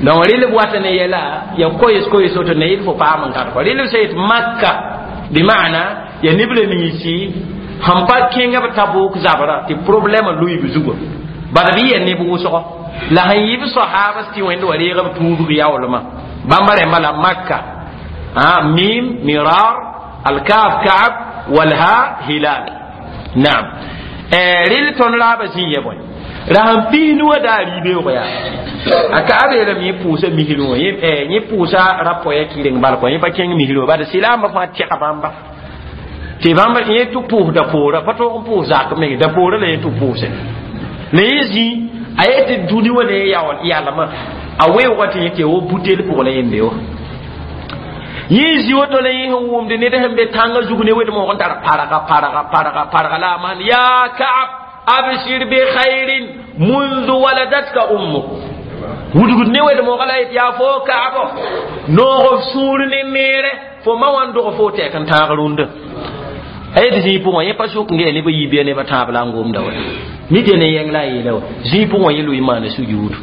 donc rɩl b wat ne yɛla ya koyes koyes woto ne yɩl fo paam n kar rɩl b sã makka bɩ maana ya neb la ninsi sẽn pa kẽnga b tabuk zabra tɩ problème lʋɩ b zugã bad bɩ ya neb wʋsgo la sẽn yɩ b sahaba tɩ wẽnd wa reeg b tuubg yaoolmã Bãmba rẽmba la Makka mim mirar alkaf kaab walha hilal naam rel tõnd raaba zĩ yɛ bõe ra sẽn pis nu wã daa rɩ-beoog yaa a kaab yeelame yẽ pʋʋsa misrẽ wã yẽ pʋʋsa ra-poya kɩreng bal kɔ yẽ pa kẽng misrẽ wã bad silaambã fãa tɛga bãmba tɩ bãmba yẽ tɩ pʋʋs da-poorã pa tõog n pʋʋs zak meng da-poorã la yẽ tɩ pʋʋse la yẽ zĩ a yet tɩ dũni wã ne yalmã a weoogã tɩ yẽ tɩ wo butel pʋg la yẽnde wã yẽ zĩ woto la yẽ sẽn wʋmd ned sẽn be tãngã zug ne wed-moog n tar parga parga parga parga la a maan yaa Kaab abshir bi khairin mundu waladatka ummuk wudgd ne wed-moogã la yet yaa fo Kaabo noog f sũur ne neere fo ma wã n dog fo tɛk n tãag rũndã a yet zĩig pʋgẽ yẽ pa sʋk n gee nebã yiibɩa nebã tãab la n gomda wa mi tɩ ne yẽng la a yeela wa zĩig pʋgẽ yẽ lʋɩ maana sujuudu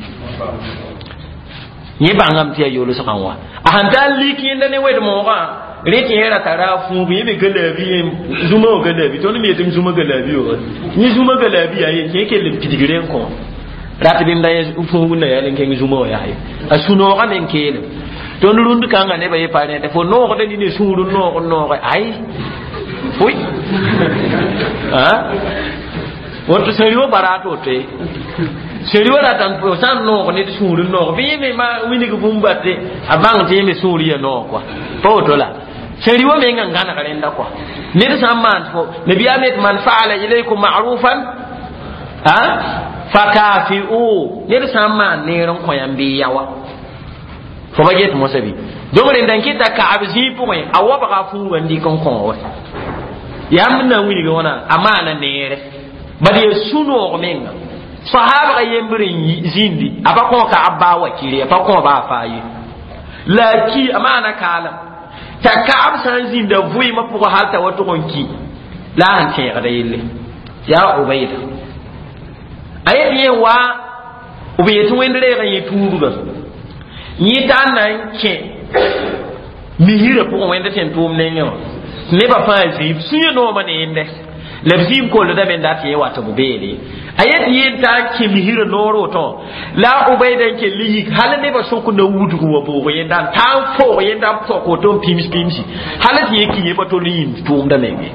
yẽ bãngame tɩ yaa yolsgã wã a sẽn tar lik yẽnda ne wed-moogã rẽ tɩ yẽ ra tara a fũub yẽ me galaabi yẽ zũma wã galaabi tõnd me yetɩ zũma galaabi wa yẽ zũma galaabi yaa yen tɩ yẽ kell n pidgre n kõ rat bɩmda yẽ fũub n na yaa n kẽng zũma wã yaa ye a sũ-noogã me n keelem tõnd rũnd kãngã nebã ye pa rẽte fo noogda ni ne sũur n noog n nooge ay fʋi woto sẽri wã bara a to-woto ye sẽri wã rata sã n noog ned sũur n noog bɩ yẽ me ma wilg bũmb bate a bãng tɩ yẽ me sũur ya noog kɔa pa woto la sẽri wã mengã n gãneg rẽnda kɔa ned sã n maan fo nabiyaam yet man faala ilaykum ma'rufan a fakafi'u ned sã n maan neer n kõ yãmb bɩ yawa fo ba get mosã bɩ donc rẽnda n kɩta kaab zĩig pʋgẽ a wabga a fuugã n dɩk n kõ wa yãmb n na n wilg wãna a maana neere bad yaa sũ-noog menga sahabga yembr n zĩndi a pa kõ kaab baa wakire a pa kõ baa faa ye la a ki a maana kaalem t'a kaab sã n zĩnda vʋɩɩmã pʋgã hal t'a wa tʋg n ki la a sẽn tẽegda yelle yaa Ubayda a yet yẽ wa b yetɩ wẽnd reeg n yẽ tuubga yẽ t'a n na n kẽ misirã pʋgẽ wẽnd sẽn tʋʋm nengẽ wã nebã fãa zĩib sũyã noomã ne yẽnde la b zĩig koldame n dat yẽ wa tɩ b beele a yet yẽ t'a n kẽ misirã noor woto la a Ubayda n kell yik hal nebã sʋk na wudg wã boog yẽnda n taa n foog yẽnda n pok woto n pims pimsi hal tɩ yẽ ki yẽ pa tol n yĩnd tʋʋmda menge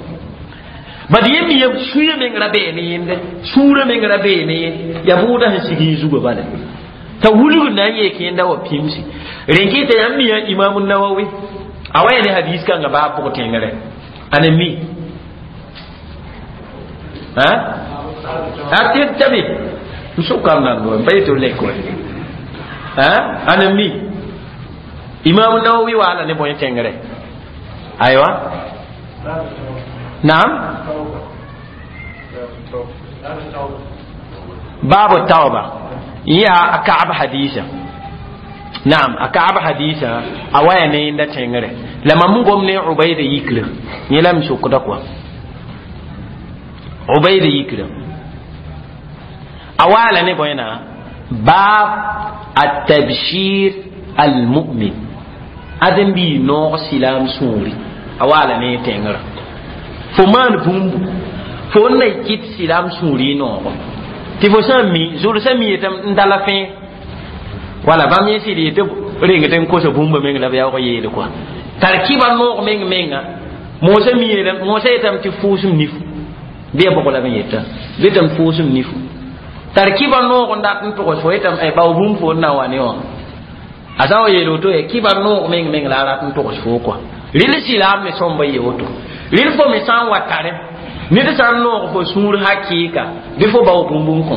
bad yẽ me sũyã meng ra bee ne yẽnde sũurã meng ra bee ne yẽ yaa bʋʋda sẽn sig yẽ zugã bala t'a wulg na n yeek yẽnda wa pimsi rẽn kɩta yãmb mi yaa Imam Nawawi a wa ya ne hadis kãngã baa pʋg tẽngre ane mi ha a tɩ tabi n sʋkam nan n pa yetɩ lek wa ha ane mi Imam Nawawi waala ne bõe tẽngre aywa naam baabu tauba yaa a kaab hadisa naam a kaab hadisa a waya ne yẽnda tẽngre la mam n gom ne Ubayda yikrã yẽ la m sʋkda kɔa Ubayda yikrã a waala ne bõe na baab atabshir almu'min adem bɩ noog silaam sũuri a waala ne tẽngrã fo maan bũmbu fo n na kɩt silaam sũuri noogo tɩ fo sã n mi zulsã mi yetame n dala fẽe wala bãmb yẽ sɩd yetɩ reng tɩ n kosa bũmba meng la b yaoog yeele kɔa tar kɩba noog meng menga moosã mi yeelame moosã yetame tɩ fʋʋsem nifu bɩ ya bʋg la b n yeta betame fʋʋsem nifu tar kɩba noog n dat n togs fo yetame bao bũmb fo n na wa ne wã a sã n wa yeel woto ye kɩba noog meng meng la a rat n togs fo kɔa rɩl silaam me sõmba ye woto rɩl fo me sã n wa tare ned sã n noog fo sũur hakɩɩka bɩ fo bao bũmb n kõ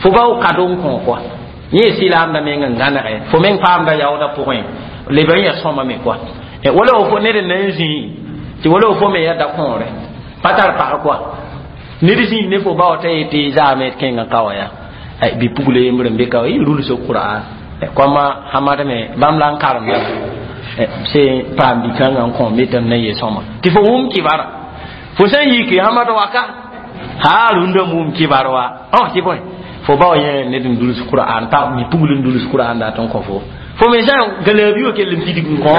fo bao kado n kõ kɔa yẽ silaamda meng n gãnege fo meng paamda yaoodã pʋgẽ leb n ya sõma me kɔa wala fo ned n na n zĩi tɩ wala fo me ya da-kõore pa tar pag kɔa ned zĩig ne fo bao t'a yetɩ zaame d kẽngã ka wã yaa bi-pugla yembr n be ka wã yɩ rulsg Qur'an kõma hamad me bãmb la n karemda se paam bi-kãngã n kõ metame na n ye sõma tɩ fo wʋm kibara fo sã n yiki hamad waka haa rũndã wʋm kibar wa õ tɩ bõe fo bao yẽ ned n duls Qur'an pa mi pugl n duls Qur'an dat n kõ fo fo me sã galaabi wã kell n pidig n kõ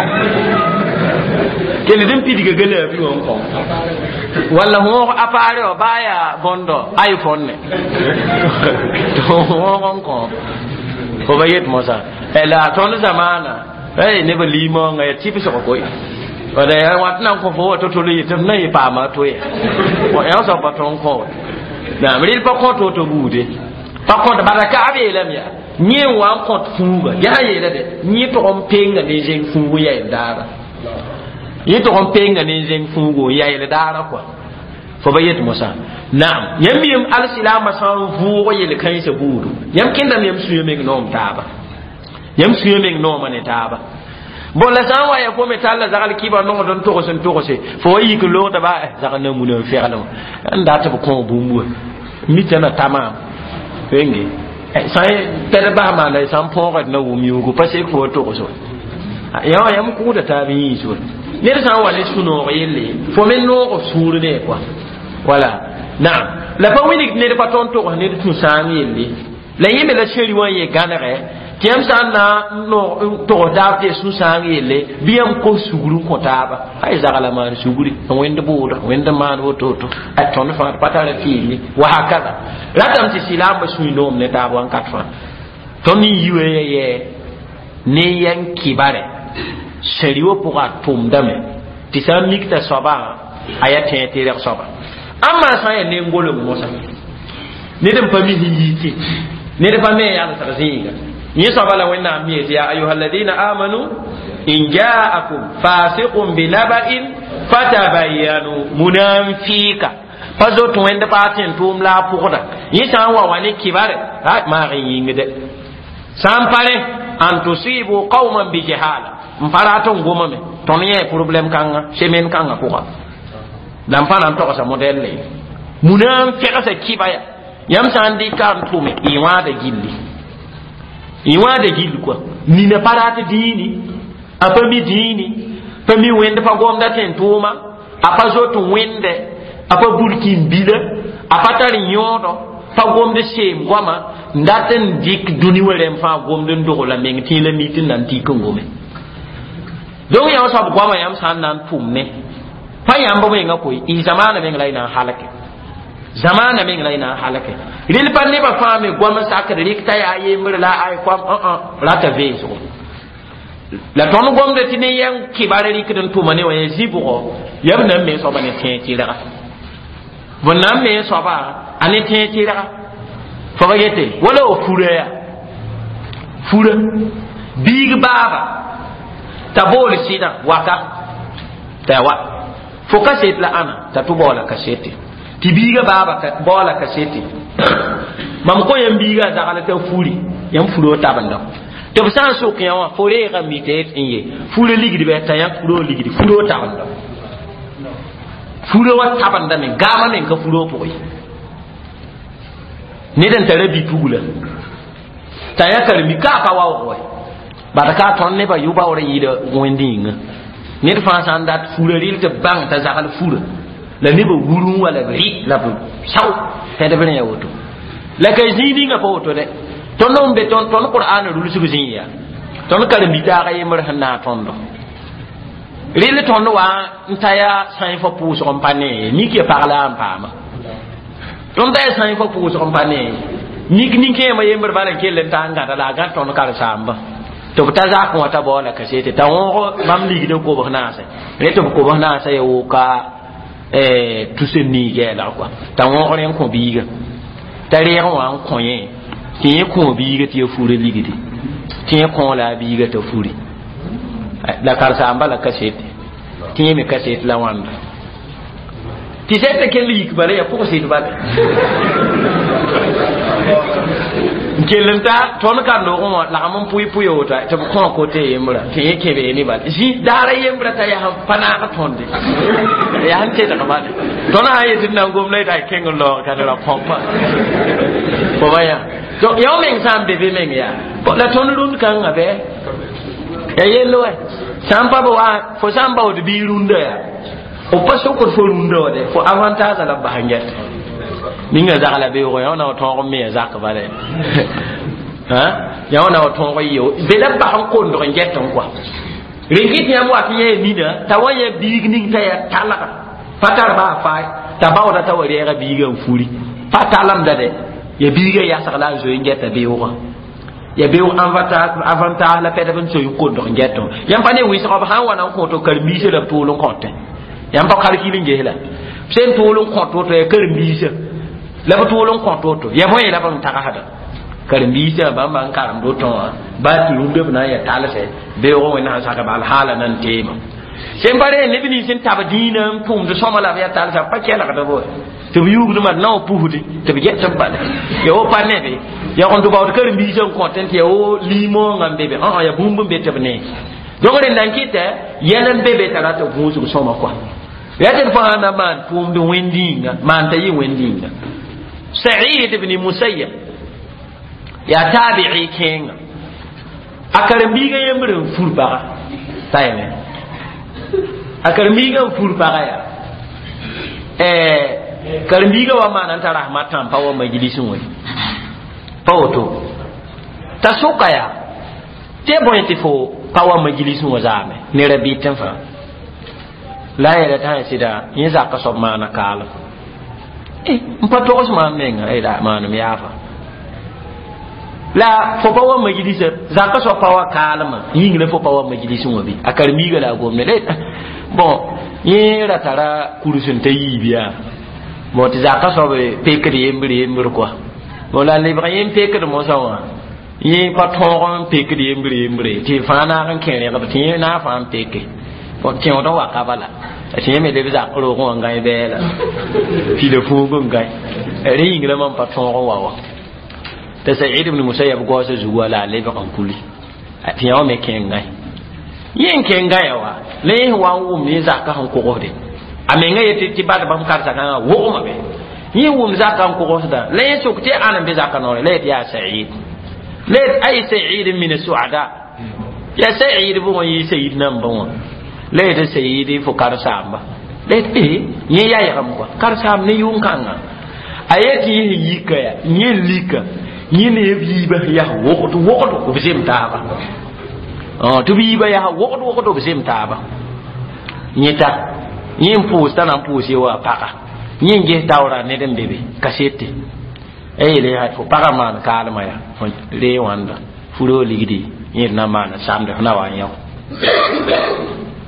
kell d n pidga galaabi wã n kõ walla võog appareil wã baa yaa bõndo iPhone ne tɩ võog n kõ fo ba yet mosã La tõnd zamaana ay neb liimoongã ya tɩbsg koe wala ya wat nan kõ fo woto tɩ yetɩ f na yɩ paama to ya yã soab pa tõnd kõ naam rɩl pa kõ to-to buude pa kõt bala ka b yeelame yaa yẽ n wa n kõt fũuga yaa yeela de yẽ tog n penga ne zẽng fũug n yayl daara yẽ tog n penga ne zẽng fũugo n yayl daara kɔa fo ba yet mosã naam yãmb yem alsilaamã sã n vʋʋg yel-kãensã buudu yãmb kẽndame yãmb sũyã meng noom taaba yãmb sũyã meng noomã ne taaba bon la sã n wa ya fo me tall la zagl kɩba nongd n togs n togse fo wa yik n loogda ba zagl na muna n feglẽ n dat b kõ bũmb wa mita na ta maam wenge sã pɛd bas maana sã n põogd na wʋm yʋʋgo pa sek fo wa togs wa yã wã yãmb kʋʋda taab yĩns wa ned sã n wa ne sũ-noog yelle fo me noog f sũur ne kɔa wala naam la pa wilg ned pa tõnd togs ned sũ-sãang yelle la yẽ me la seri wã n ye gãnegɛ tɩ yãmb sã n na n togs taab tɩ sũ-sãang yelle bɩ yãmb kos sugr n kõ taaba ay zagla maan sugri wẽnd bʋʋda wẽnd maan woto-woto a tõnd fãa pa tara fɩɩl ye wa hakada ratame tɩ sɩlaambã sũy noom ne taab wãnkat fãa tõnd n yi wa ya yɛ ne yɛn kibare seri wã pʋga a tʋmdame tɩ sã n mik t'a soabã a yaa tẽeg tɩ reg soaba amma sã n yaa ne-goleng mosã ned n pa mi sẽn yiite ned pa me yalsg zĩiga yẽ soaba la wẽnnaam mi yetɩ ya ayuha alladina amanu in jaakum fasiqun binaba'in fatabayanu munanfika pa zot wẽnd paa tẽn tʋʋm la a pʋgda yẽ sã n wa wa ne kibare maag n yĩngde sã n pa rẽ an tusibu qauman bijahala n pa rat n gomame tõnd yẽ problème kãnga semaine kãngã pʋga la n pa na n togsa modɛlle muna n fegsa kɩba ya yãmb sã n dɩka n tʋme y wãada gilli y wãada gill kɔa nina pa rat dĩini a pa mi dĩini pa mi wẽnd pa gomda tẽn tʋʋma a pa zot wẽnde a pa burkin bila a pa tar yõodɔ pa gomd seem goama n dat n dɩk dũni wã rẽmb fãa gomd n dogla meng tẽ la mi tɩ n na n tik n gome donc yã soab goama yãmb sã n na n tʋm ne pa yãmb menga koe y zamaana meng la y na n halke zamaana meng la y na n halke rel pa nebã fãa me goam sakd rɩk t'a yaa yembr la ay koam rata veesgo la tõnd gomda tɩ ne yãng kɩbar rɩkd n tʋma ne wã ya zɩbgɔ yaa b na n me soaba ne tẽeg tɩrga b na n me soaba a ne tẽeg tɩrga fo ba yete wala o fura ya fura biig baaba t'a bool sɩdã waka t'a wa fo kaset la ãna t'a tʋ baoola kasete tɩ biigã baaba baoola kasete mam kõ yãmb biigã a zagl t'a furi yãmb furo tabenda tɩ b sã n sok yã wã fo reega mi tɩ n ye furo ligd bɩ t'a yãk furo ligdi furo tabenda furo wã tabendame gaamã meng ka furo pʋgẽ ned n tara bi-pugla t'a yã karemi ka a pa waoog wɛ bad ka tõnd nebã yʋ-baoor yɩɩda wẽnd yĩnga ned fãa sã n dat fura rɩl tɩ bãng t'a zagl fura la nebã wurẽ wa la b rɩ la b sao pɛdb rẽ ya woto la ka zĩig ninga pa woto dɛ tõnd n be tõnd qur'an rulsg zĩig yaa tõnd karen-bi-taaga yembr sẽn naag tõndo rɩl tõnd wa n ta yaa sãy fo pʋʋsg n pa nee mik ya pag la n paama tõnd ta yaa sãy fo pʋʋsg n pa nee mik nin-kẽemã yembr bala n kell n ta n gãda la a gãd tõnd karen-saamba tɩ b ta zak wã t'a baoola kasete t'a wõog bãmb ligd n kobs naasẽ rẽ tɩ b kobs naasã ya woka tus n niig yɛɛlg kɔa t'a wõog rẽ n kõ biiga t'a reeg wã n kõ yẽ tɩ yẽ kõ biiga tɩ ya fura ligdi tɩ yẽ kõ la a biiga t'a furi la karen-saamba la kasete tɩ yẽ me kasete la wãnda tɩ sɛta kell yik bala ya pʋgsɩd bala n kell n ta tõnd ka-noogẽ wã lagm n pʋɩ pʋɩ woto tɩ b kõ kote yembra tɩ yẽ kẽbee ne bala zĩ daara yembra t'a yaa pa naag tõnde yaa n tedg bala tõnd sã n yetɩ d na n gom la y kẽng n laoog ka ra põpa fo ba yã donc yã meng sã n be be meng yaa la tõnd rũnd kãngã bɩ ya yell wɛ sã n pa b wa fo sã n baood bii rũndã yaa f pa sokd fo rũndã wã de fo avantage la b bas n gɛt ninga zagla beoogo yã na wa tõog n me ya zak bala yã wã na wa tõog n yeo be la b bas n kondg n gɛt n kɔa rẽn kɩ tɩ yãmb wat yã nina t'a wa yã biig ning t'a yaa talga pa tar baa faay t'a baooda t'a wa reega biigã n furi pa talemda de ya biigã yasg la a zoe n gɛta beoogã Ya beoog avantage la pɛdb n soy n kondg n gɛtẽ yãmb pa ne wɩsgã b sã n wa na n kõto karen-biisã la b tʋʋl n kõtẽ yãmb pa kalkil n ges la b sẽn tʋʋl n kõt woto ya karen-biisã la b tʋʋl n kõt woto ya bõe la b n tagsda karen-biisã bãmba n karemd woto wã baa tɩ rũndã b na n ya talsɛ beoogã wẽnnaam saka bal haala na n teema sẽn pa ree neb nins n tab dĩinã n tʋmd sõma la b yaa talsã b pa kelgd bo tɩ b yugdmã d na wa pusde tɩ b get b bala ya wo pa nebe ya kõn tɩ baood karen-biisã n kõtẽ tɩ ya wo limõongã n be be ã ya bũmb n be tɩ b nee donc rẽnda n kɩtɛ yɛl n be be t'a rat gũusg sõma kɔa ya tɩ d fãa na maan tʋʋmd wẽnd-yĩnga maan t'a yɩ wẽnd-yĩnga Saïd ibn Musayyab yaa taabi'i kẽenga a karen-biigã yembr n fur baga t'a yeme a karen-biigã n fur baga yaa karen-biigã wa maana n tara rahmat tãm pa wa majlisẽ wã pa woto t'a soka yaa tɩ ya bõe tɩ fo pa wa majlisẽ wã zaame ne rabɩtẽ fãa la a yeela t'a sã sɩda yẽ zaka soab maana kaalem n pa togs maam menga la maanem yaafa la fo pa wa majlisa zaka soab pa wa kaalmã yĩng la fo pa wa majlisẽ wã bɩ a karen-biigã la a gomne bon yẽ ra tara kurs n ta yiib yaa bon tɩ zaka soab pekd yembr yembr kɔa bon la lebg yẽ n pekd mosã wã yẽ pa tõog n pekd yembr yembre tɩ fãa naag n kẽ rẽgb tɩ yẽ naag fãa n peke bon kẽod n wa ka bala tɩ yẽ me leb zak roogẽ wã gãe bɛɛla pila fuug n gãe rẽ yĩng la mam pa tõog n wa wã t'a Saïd ibn Musayyab gaoosã zugu wã la a lebg n kuli tɩ yã wã me kẽ n gãe yẽ n kẽ n gãya wa la yẽ wa n wʋm yẽ zaka sẽn kogsde a menga yetɩ tɩ bad bãmb karsakãngã wogmame yẽ wʋm zaka n kogsda la yẽ sok tɩ ãn n be zaka noore la yet yaa Saïd la yet ay Saïd min suada yaa Saïd bʋgẽ yɩ Saïd nambã wã la yetɩ Saïd fo karsaamba la yet e yẽ yaygame kɔa karsaam ne yʋng-kãngã a yetɩ yẽ sẽn yika yaa yẽ n lika yẽ ne b yiibã yaa wogd wogdo b zem taaba tɩ b yiibã yaa wogd wogdo b zem taaba yẽta yẽ n pʋʋs t'a na n pʋʋs ye wa paga yẽ n ges taoora ned n be be kasete a yeele yaa fo pagã maan kaalmã yaa fo ree wãnda furo ligdi yẽ d na n maana samde fo na wa n yao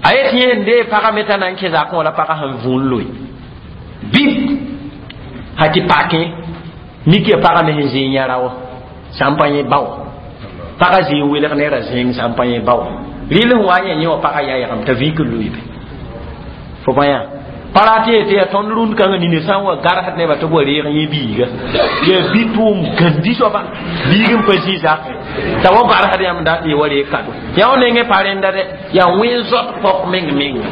a yet yẽ sẽn dee pagã me t'a na n kẽ zakẽ wã la pagã sẽn vũun loe bib ha tɩ pakẽ mik ya pagã me sẽn zĩig yãra wã sã n pa yẽ bao pagã zĩig welg ne ra zẽeng sã n pa yẽ bao rɩl sẽn wa n yã yẽ wã pagã yaygame t'a vik n loeebe fo pa yã pa rat yetɩ tɩ yaa tõnd rũnd kãngã nina sã n wa garsd nebã tɩ b wa reeg yẽ biiga yaa bi tʋʋm gãndi soaba biig n pa zĩ zakẽ t'a wa garsd yãmb dat yɩ wa reeg kado yã wã nengẽ pa rẽnda dɛ yaa wẽn zot pɔk meng menga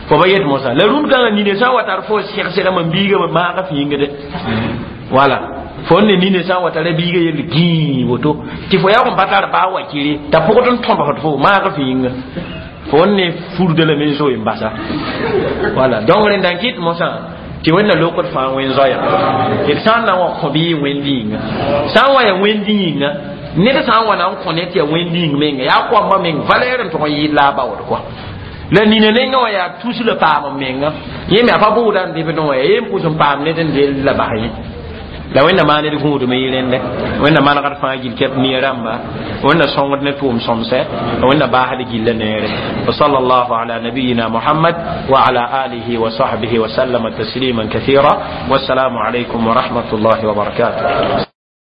fo ba yet mosã la rũnd kãngã nina sã n wa tar fo sɛgsɛgame n biigame maagã fĩinga dɛ wala fo ne nina sã n wa tara biiga yell gĩi woto tɩ fo yaoog n pa tar baa wakire t'a pʋgd n tõbsd fo maag fĩinga fo ne furda lame n zoe n basa wala donc rẽnda n kɩt mosã tɩ wẽnna lokd fãa wẽn zoaya tɩ d sã n na n wa kõ bɩ yɩ wẽnd yĩnga sã n wa ya wẽnd yĩnga ned sã n wa na n kõ ne tɩ ya wẽnd yĩng menga yaa koambã meng valɛɛr n tʋg n yɩɩd la a baood kɔa la nina nengã wã yaa tus la paam n menga yẽ me a pa bʋʋda n dɩbdẽ wã yaa yẽ n pʋs n paam ned n del la bas yẽ la wẽnna maan d gũudme yɩ rẽndɛ wẽnna manegd fãa gill kɛp nia rãmba wẽnna sõngd ne tʋʋm sõmsɛ wẽnna baasd gilla neere wa sallallahu ala nabiyina muhammad wa ala alihi wa sahbihi wa sallama tasliman kathira wassalamu alaykum wa rahmatullahi wa barakatuh.